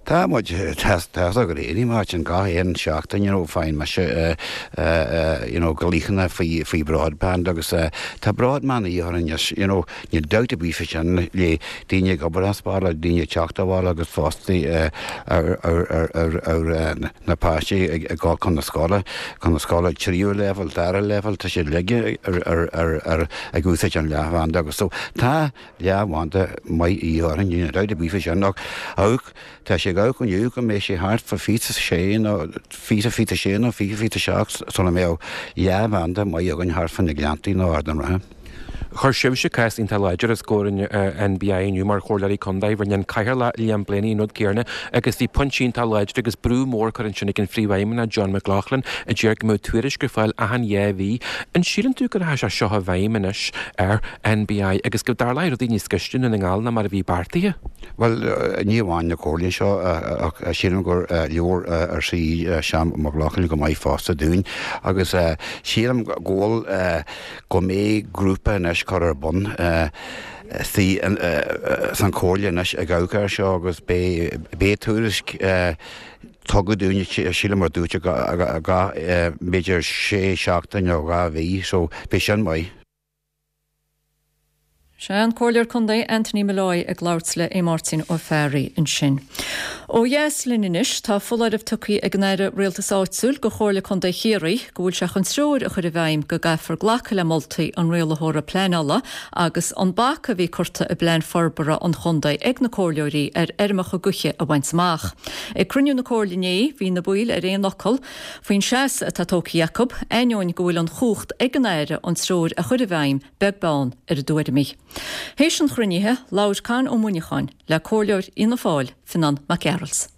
Tá muid, tá, tá a fhios agat féin, Máirtín, gach aon seachtain, you know, faigheann mise, eh, eh, you know, glaochanna faoi, faoi broadband agus, eh, tá broadband a dhíth orainn anois, you know, Níl dabht ar bith faoi sin le daoine ag obair as baile, daoine ag teacht abhaile agus fostaí ar na páistí ag dul chun na scoile, chun na scoile tríú leibhéal, dara leibhéal, tá siad uilig ag úsáid an leathbhanda agus so tá leathbhanda maith a dhíth orainn, níl dabht ar bith faoi sin ach amharc, tá sé ag amharc inniu go mbeidh sé thart fá 26 nó 20, 26 nó 20, 27 sula mbeadh leathbhanda maith againn thart fá na Gleanntaí nó Ard an Rátha. Chuir sibhse cás iontach láidir os comhair an NBI inniu mar chomhairleoirí contae. Rinne an Cathaoirleach Liam Blaney an rud céanna agus bhí pointí iontach láidir agus brú mór curtha ansin ag an Phríomhfheidhmeannach John McLaughlin a deir go mbeadh tuairisc ar fáil achan 2 mhí. An síleann tú go rachaidh sé seo i bhfeidhm anois ar NBI agus go dtarlóidh rudaí níos gaiste i nDún na nGall ná mar a bhí beartaithe? Bhuel, ní amháin na comhairlí anseo ach sílim gur leabhar ar sí Seán McLaughlin go maith fosta dúinn agus sílim go bhfuil go mbeidh grúpa anois curtha ar bun san Chomhairle anois ag amharc air seo agus beidh tuairisc tugtha dúinn, sílim mar dúirt gach b'fhéidir sé seachtain nó 2 mhí so beidh sin maith. Sé an Comhairleoir Contae Anthony Molloy ag labhairt le Aodh Máirtín Ó Fearraigh ansin. Ó dheas linn anois, tá foláireamh tugtha ag an Aire Rialtais Áitiúil go Chomhairle Contae Chiarraí go bhfuil sé chun treoir a chur i bhfeidhm go gcaithfear glacadh le moltaí an rialaitheora pleanála agus an bac a bhí curtha i bplean forbartha an chontae ag na comhairleoirí ar fheirmeacha gaoithe a bhaint amach. Ag cruinniú na comhairle inné bhí na baill ar aon fhocal faoin seasamh atá tógtha acu, ainneoin go bhfuil an chumhacht ag an Aire an treoir a chur i bhfeidhm beag beann ar a dtuairimí. Théis an chruinnithe, labhair Con Ó Muineacháin le Comhairleoir Fhianna Fáil, Fionán Mac Gearailt.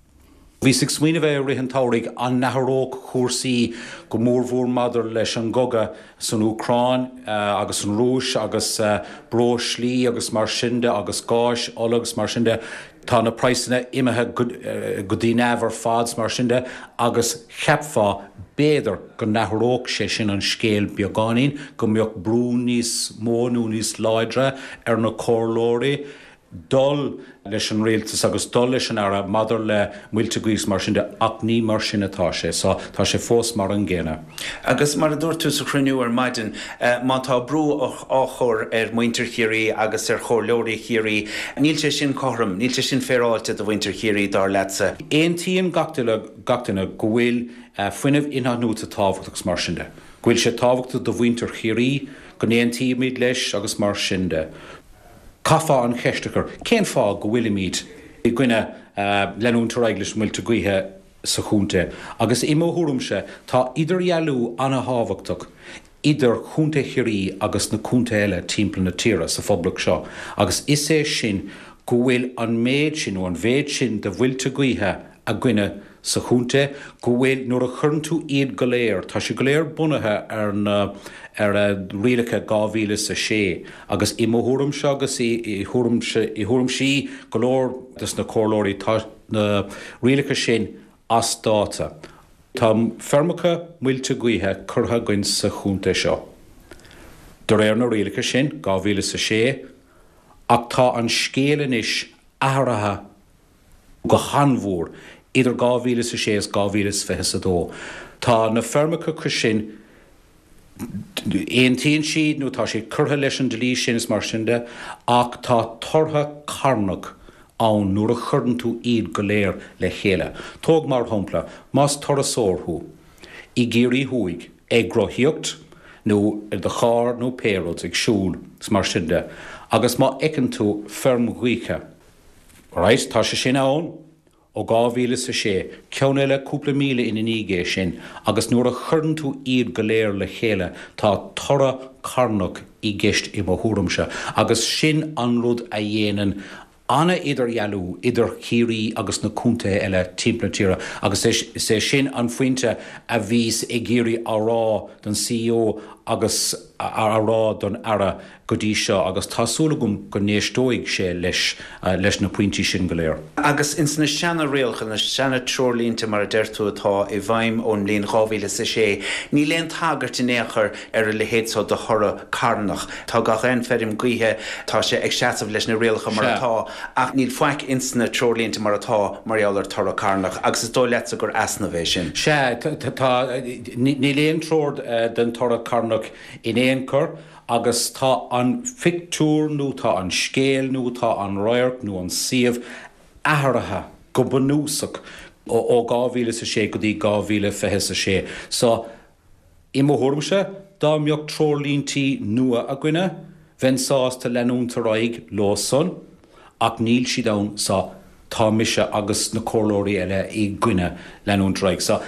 Bhíos ag smaoineamh i rith an tsamhraidh an n-athródh cúrsaí go mórmhór maidir leis an gcogadh san Úcráin agus an Rúis agus breoslaí agus mar sin de agus gáis, ola agus mar sin de. Tá na praghsanna imithe go dtí neamh ar fad 's mar sin de agus cheapfá b'fhéidir go n-athródh sé sin an scéal beagáinín, go mbeadh brú níos mó nó níos láidre ar na comhairleoirí. dul leis an rialtas agus dul leis an Aire maidir le muilte gaoithe is mar sin de ach ní mar sin atá sé so tá sé fós mar an gcéanna. Agus mar a dúirt tú sa chruinniú ar maidin, má tá brú á chur ar mhuintir Chiarraí agus ar chomhairleoirí Chiarraí, níl sé sin cothrom, níl sé sin féaráilte do mhuintir Chiarraí, dar leatsa. Aontaíonn gach duine go bhfuil fuinneamh in-athnuaite tábhachtach agus mar sin de. Go bhfuil sé tábhachtach do mhuintir Chiarraí, go n-aontaímid leis agus mar sin de. Caithfeá an cheist a chur, cén fáth go bhfuilimid i gcoinne leanúint ar aghaidh leis na muilte gaoithe sa chontae? Agus i mo thuairimse, tá idirdhealú an-thábhachtach idir Chontae Chiarraí agus na contaetha eile timpeall na tíre sa Phoblacht seo, agus is é sin go bhfuil an méid sin, nó an mhéid sin de mhuilte gaoithe againne sa chontae, go bhfuil, nuair a chuireann tú iad go léir, tá siad go léir bunaithe ar na, ar rialacha 2006 agus i mo thuairimse agus i thuairimse, i thuairimsí go leor des na comhairleoirí, tá na rialacha sin as dáta. Tá feirmeacha muilte gaoithe curtha againn sa chontae seo de réir na rialacha sin, 2006, ach tá an scéal anois athraithe go han-mhór idir 2006 is 2022. Tá na feirmeacha sin, aontaíonn siad nó tá siad curtha leis an dlí sin is mar sin de, ach tá toradh carnach ann nuair a chuireann tú iad go léir le chéile. Tóg mar shampla, más turasóir thú i gCiarraí Thuaidh, ag rothaíocht nó i do charr nó pé rud, ag siúl is mar sin de, agus má fheiceann tú feirm ghaoithe, Alright, tá sé sin ann ó 2006, ceann eile cúpla míle ina ndiaidh é sin, agus nuair a chuireann tú iad go léir le chéile, tá toradh carnach i gceist i mo thuairimse, agus sin an rud a dhéanann an-idirdhealú idir Chiarraí agus na contaetha eile timpeall na tíre, agus is é sin an phointe a bhíos ag iarraidh a rá don CEO agus a rá don Aire go dtí seo agus tá súil agam go n-éisteoidh sé leis leis na pointí sin go léir. Agus ins na seana-rialacha, na seana-treoirlínte mar a deir tú atá i bhfeidhm ón mbliain 2006, níl aon tagairt in aon chor ar a leithéid so de thoradh carnach. Tá gach aon feirm gaoithe, tá sé ag seasamh leis na rialacha mar atá ach níl faic ins na treoirlínte mar atá mar gheall ar toradh carnach agus is dóigh leatsa gur easnamh é sin. Sea, tá, níl aon treoir den toradh carnach in aon chor. Agus tá an phictiúr nó tá an scéal nó tá an radharc nó an suíomh athraithe go bunúsach ó 2006 go dtí 2026. So, i mo thuairimse, dá mbeadh treoirlíntí nua againne, bheinn sásta leanúint ar aghaidh leo san, ach níl siad ann, so tá mise agus na comhairleoirí eile i gcoinne leanúint ar aghaidh. So,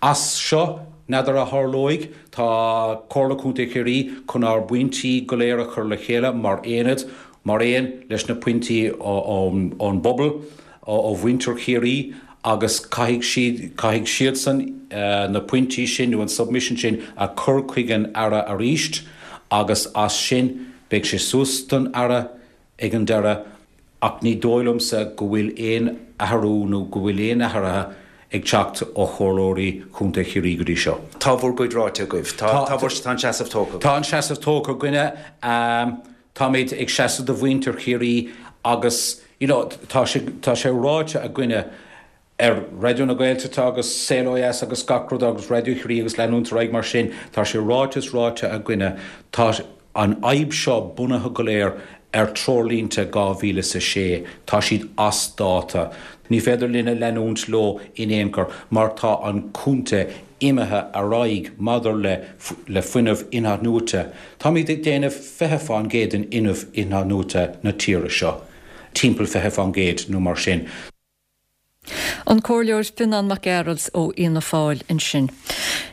As seo, n'fheadar a tharlóidh, tá Comhairle Contae Chiarraí chun ár bpointí go léir a chur le chéile mar aonad, mar aon leis na pointí ón bpobal, ó mhuintir Chiarraí agus caithfidh siad, caithfidh siadsan na pointí sin nó an submission sin a chur chuig an Aire arís agus as sin beidh sé suas don Aire ag an deireadh ach ní dóigh liomsa go bhfuil aon athrú nó go bhfuil aon athruithe ag teacht ó chomhairleoirí Chontae Chiarraí go dtí seo. Tá bhur gcuid ráite agaibh. Tá, tá bhur, tá an seasamh tógtha agaibh. Tá an seasamh tógtha againne. Táimid ag seasamh do mhuintir Chiarraí agus, you know, tá sé, tá sé ráite againne ar Raidió na Gaeltachta agus Saol Ó Dheas agus gach rud agus Raidió Chiarraí agus leanúint ar aghaidh mar sin, tá sé ráite is ráite againne, tá an fhadhb seo bunaithe go léir ar treoirlínte 2006, tá siad as dáta. Ní féidir linne leanúint leo in aon chor mar tá an contae imithe ar aghaidh maidir le le fuinneamh in-athnuaite. Táimid ag déanamh 20% den fhuinneamh in-athnuaite na tíre seo, timpeall 20% nó mar sin. An Comhairleoir Fionán Mac Gearailt ó Fhianna Fáil ansin.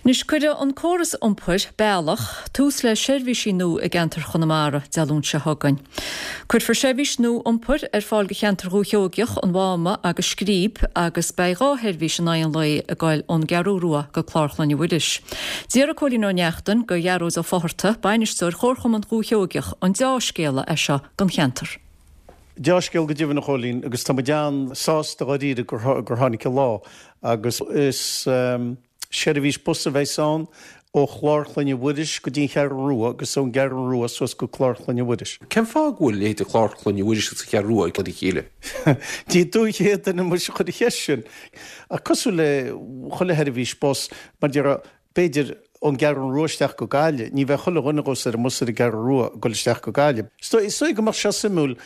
Anois, cuirfidh an córas iompair, Bealach, tús le seirbhísí nua i gceantar Chonamara Dé Luain seo chugainn. Cuirfear seirbhís nua iompair ar fáil do cheantar Dhúiche Sheoigeach, an Mháma agus Scríb agus beidh 2 sheirbhís in aghaidh an lae ag goil ón gCeathrú Rua go Clár Chlainne Mhuiris. D'fhiafraigh Cóilín Ó Neachtain de Ghearóid Ó Fátharta, bainisteoir Chomharchumann Dhúiche Sheoigeach, an deá-scéala é seo don cheantar. Deá-scéal go deimhin a Chóilín agus tá muid an-sásta dháiríre gur tháinig an lá agus is seirbhís bus a bheas ann. ó Chlár Chlainne Mhuiris go dtí an Cheathrú Rua agus ón gCeathrú Rua suas go Clár Chlainne Mhuiris. Cén fáth go bhfuil leithéid de Chlár Chlainne Mhuiris agus an Cheathrú Rua ag cur a chéile? Ní tú an chéad duine muis a chuir an cheist sin. Ach cosúil le chuile sheirbhís bus, mar déarfá, b'fhéidir, ón gCeathrú Rua isteach go Gaillimh, ní bheadh chuile dhuine abhus ar an mbus ar an gCeathrú Rua ag dul isteach go Gaillimh. Is dóigh go mbeadh sé suimiúil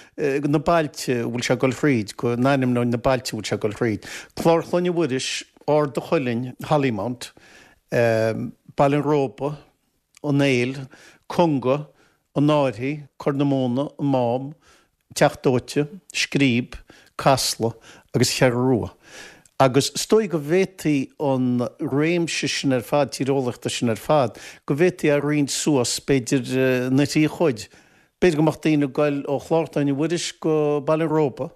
na bailte a bhfuil sé ag dul thríd, go n-ainmneoinn na bailte a bhfuil sé ag dul thríd. Clár Chlainne Mhuiris, Ard a' Chuilinn, Hollymount, Baile an Róba, An Éill, Conga, An Fhairche, Corr na Móna, An Mám, Teach Dóite, Scríb, Casla agus Cheathrú Rua. Agus is dóigh go bhféadfaí an réimse sin ar fad, tíreolaíochta sin ar fad, go bhféadfaí é a roinnt suas, b'fhéidir, ina thrí chuid. B'fhéidir go mbeadh daoine ag goil ó Chlár Chlainne Mhuiris go Baile an Róba,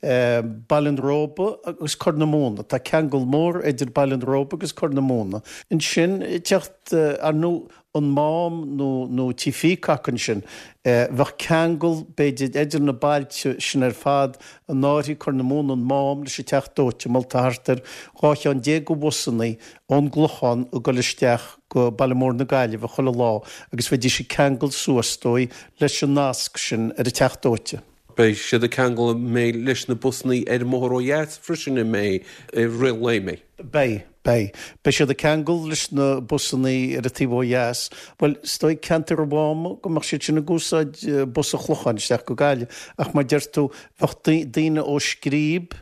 Baile an Róba agus Corr na Móna. Tá ceangal mór idir Baile an Róba agus Corr na Móna. Ansin, teacht, ar ndóigh, an Mám nó nó Tí Peacock ansin. Bheadh ceangal, b'fhéidir, idir na bailte sin ar fad, An Fhairche, Corr na Móna, an Mám leis an Teach Dóite, mar tá thart ar 12 cheann de bhusannaí ón gClochán ag dul isteach go Baile Mór na Gaillimhe chuile lá agus bheidís ag ceangal suas, is dóigh, leis an nasc sin ar an Teach Dóite. Beidh siad ag ceangal an mbeidh leis na busannaí ar an mbóthar ó dheas freisin an mbeidh i rith an lae an mbeidh? Beidh, beidh. Beidh siad ag ceangal leis na busannaí ar an taobh ó dheas. Bhuel, is dóigh ceantar an Mháma go mbeadh siad sin ag úsáid bus an Chlocháin isteach go Gaillimh ach mar deir tú, bheadh daoine ó Scríb,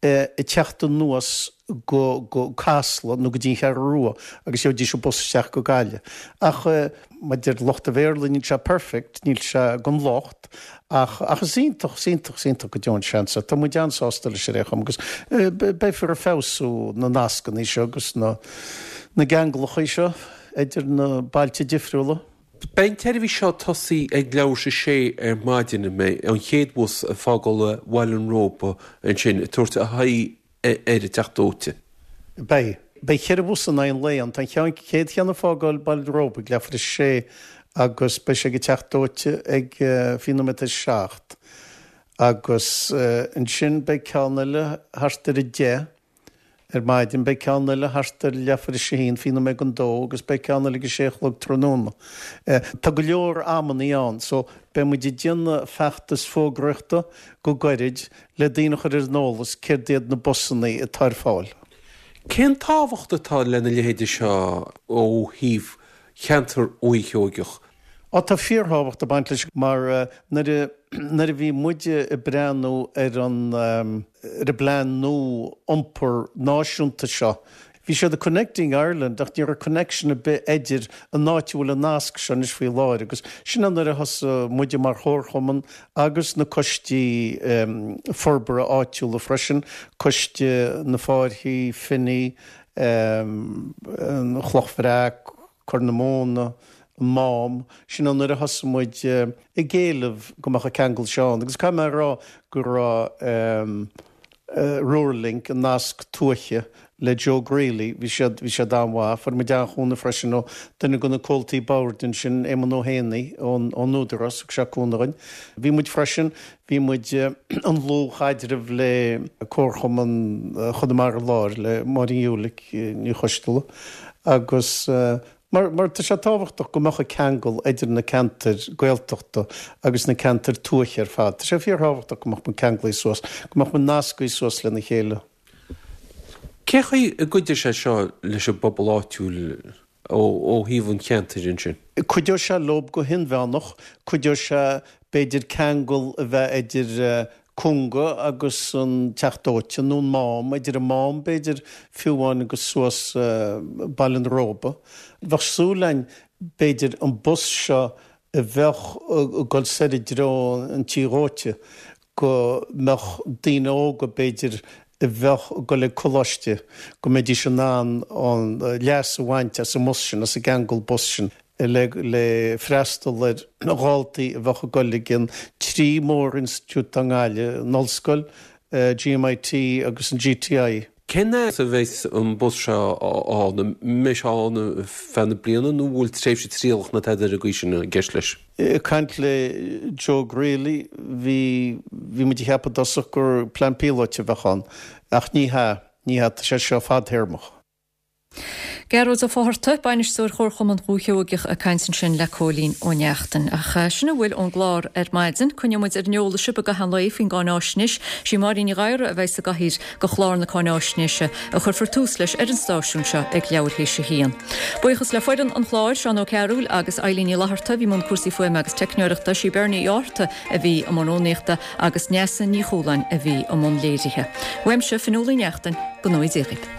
ag teacht anuas go go Casla nó go dtí an Cheathrú Rua agus gheobhaidís an bus isteach go Gaillimh. Ach mar deir lucht an Bhéarla níl sé perfect, níl sé gan locht ach ach is iontach, is iontach, is iontach go deo an seans é. Tá muid an-sásta leis ar aon chuma agus beifear ag feabhsú na nascanna seo agus na na gceanglacha seo idir na bailte difriúla. Beidh an tseirbhís seo ag tosaí ag leathuair tar éis a sé ar maidin, an mbeidh, an chéad bhus ag fágáil Bhaile an Róba ansin, ag tabhairt a haghaidh ar an Teach Dóite. Beidh. Beidh cheithre bhus in aghaidh an lae ann. Tá an cheann, chéad cheann ag fágáil Baile an Róba ag leathuair tar éis a sé agus beidh sé ag an Teach Dóite ag 7 nóiméad tar éis a 7 agus ansin beidh ceann eile thart ar a 10 Ar maidin beidh ceann eile thart ar leathuair tar éis a haon, 20 nóiméad don dó agus beidh ceann eile ag a sé a chlog tráthnóna. Tá go leor amannaí ann so beidh muid ag déanamh feachtas fógraíochta go gairid le daoine a chur ar an eolas céard iad na busannaí atá ar fáil. Cén tábhacht atá lena leithéide seo ó thaobh cheantar Dhúiche Sheoigeach? Á, tá fíorthábhacht ag baint leis mar nuair a, nuair a bhí muide ag breathnú ar an, ar an bplean nua iompair náisiúnta seo, bhí siad ag Connecting Ireland ach ní raibh connection ar bith idir an áit a bhfuil an nasc seo anois faoi láthair agus sin é nuair a thosaigh muide mar chomharchumann agus na coistí forbartha áitiúla freisin, Coiste na Fáirchí, Finney, an Chloch Bhreac, Corr na Móna, an Mám, sin é nuair a thosaigh muid ag éileamh go mbeadh an ceangal seo ann agus caithfidh mé a rá go raibh Rural Link, an nasc tuaithe le Joe Greally, bhí siad, bhí siad an-mhaith. Fuair muid an-chúnamh freisin ó duine de na comhaltaí boird ansin, Éamonn Ó hÉanaí ón Údarás, thug sé cúnamh dhuinn. Bhí muid freisin, bhí muid i ndlúthchaidreamh le Comharchumann Chonamara Láir, le Máirín Ulick Ní Choisteala agus mar mar tá sé tábhachtach go mbeadh an ceangal idir na ceantair Gaeltachta agus na ceantair tuaithe ar fad. Tá sé fíorthábhachtach go mbeadh muid ceanglaithe suas, go mbeadh muid nascaithe suas lena chéile. Cé chaoi a gcuideoidh sé seo leis an bpobal áitiúil ó thaobh an cheantair ansin? Cuideoidh sé leob go hinmheánach, cuideoidh sé b'fhéidir ceangal a bheith idir Conga agus an Teach Dóite, nó an Mám, idir an Mám b'fhéidir fiú amháin agus suas Baile an Róba. Bheadh súil againn b'fhéidir an bus seo a bheadh ag dul soir i dtreo an tí dhóite, go mbeadh daoine óga b'fhéidir a bheadh ag dul ag coláiste, go mbeidís in ann an leas a bhaint as an mbus sin, as an gceangal bus sin. le freastal ar dhaltaí a bheadh ag dul ag an trí mór-institiúid atá i nGaillimh, an Ollscoil, GMIT agus an GTI. Cén fhad a bheas an bus seo ann? An mbeidh sé ann ar feadh na bliana nó an bhfuil tréimhse trialach nó tada ar an gcaoi sin i gceist leis? Ag caint le Joe Greally, bhí bhí muid ag ceapadh i dtosach gur plean píolóite a bheadh ann, ach ní hea, ní hea, tá sé seo fadthéarmach. Gearóid Ó Fátharta, Bainisteoir Chomharchumann Dhúiche Sheoigeach ag caint ansin le Cóilín Ó Neachtain. Ach sin a bhfuil ón gclár ar maidin. Coinneoidh muid ar an eolas sibh i gcaitheamh an lae faoin gcáináisnéis. Sí Máirín Ní Ghadhra a bheidh sa gcathaoir do chlár na cáináisnéise a chuirfear tús leis ar an stáisiún seo ag leathuair théis a haon. Buíochas le foireann an chláir, Seán Ó Cearúil agus Eilín Ní Fhlatharta a bhí i mbun cúrsaí fuaime agus teicneoireachta, sí Bernie Uí Fhátharta a bhí i mbun rúnaíochta agus Neasa Ní Chualáin a bhí i mbun léirithe. Uaimse, Fionnuala Ní Neachtain, go ngnóthaí Dia dhaoibh.